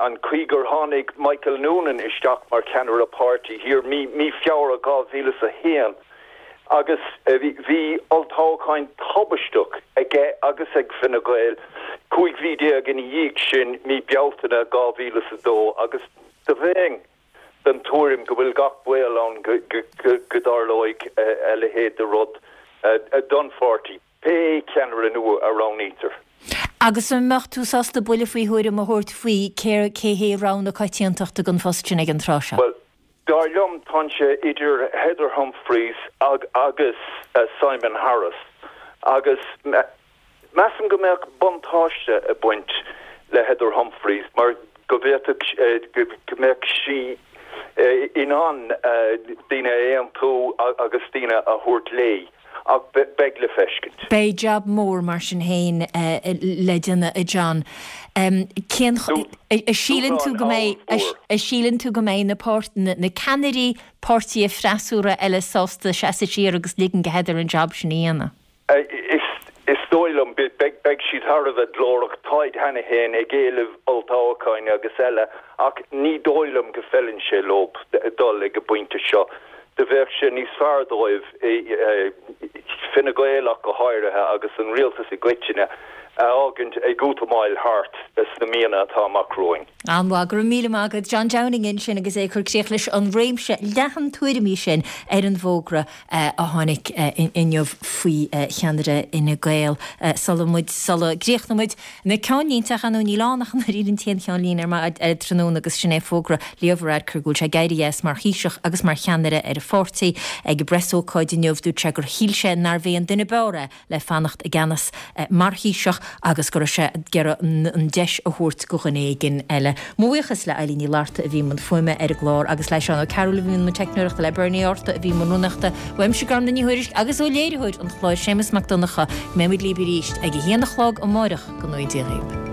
an chaoi gur tháinig Michael Noonan isteach mar cheannaire páirtí thiar mí Feabhra dhá mhíle is a haon agus bhí olltoghcháin tubaisteach aige agus ag Fine Gael cúig mhí déag ina dhiaidh sin, mí Bealtaine dhá mhíle is a dó agus do bheinn den tuairim go bhfuil gach baol ann go dtarlóidh a leithéid de rud don pháirtí. Pé ceannaire nua a roghnaítear. Agus an mbeadh tú sásta buille faoi thuairim a thabhairt faoi cé cé hé rogha na coitiantachta don phost sin ag an tráth seo? Bhuel, dar liom, tá sé idir Heather Humphreys agus Simon Harris agus measaim go mbeadh buntáiste ag baint le Heather Humphreys mar go bhféadfadh go mbeadh sí in ann daoine a aontú agus daoine a thabhairt léi, ach beidh le feiscint. Beidh jab mór mar sin féin le déanamh, a John. Cén a síleann tú go mbeidh a síleann tú go mbeidh na na ceannairí páirtithe freasúra eile sásta seasamh siar agus ligean do Heather an jab sin a dhéanamh? Is dóigh liom, beidh siad thar a bheith glórach, táid cheana féin ag éileamh olltoghcháin agus eile, ach ní dóigh liom go bhfeileann sé leo dul ag an bpointe seo. Do bheadh sé níos fearr dóibh, Fine Gael ach go háirithe, agus an rialtas i gcoitinne, a fhágaint ag útamáil thart sna míonna atá amach romhainn. An-mhaith, go raibh míle maith agat. John Downing ansin agus é ag cur críoch leis an réimse leathan tuairimí sin ar an bhfógra a tháinig inniu faoi cheannaire Fhine Gael. Sula muid, sula gcríochnóidh muid na ceannlínte, ach ar ndóigh níl ann ach an oiread an t-aon cheannlíne ar ar tráthnóna agus sin é fógra Leo Varadkar go bhfuil sé ag éirí as mar Thaoiseach agus mar cheannaire ar a pháirtí. Ag an bpreasócáid inniu dúirt sé gur shíl sé nárbh é an duine b'fhearr é le fanacht i gceannas mar Thaoiseach agus go raibh sé ag iarraidh an deis a thabhairt go dhuine éigin eile. Mo bhuíochas le Eilín Ní Fhlatharta a bhí i mbun fuaime ar an gclár agus le Seán Ó Cearúil a bhí i mbun teicneoireachta, le Bernie Arta a bhí i mbun rúnaíochta, uaimse Gormfhlaith Ní Thuairisg agus ó léiritheoir an chláir Séamus Mac Donncha. Go mbeidh muid libh arís ag a haon a chlog amáireach go ngnóthaí Dia dhaoibh.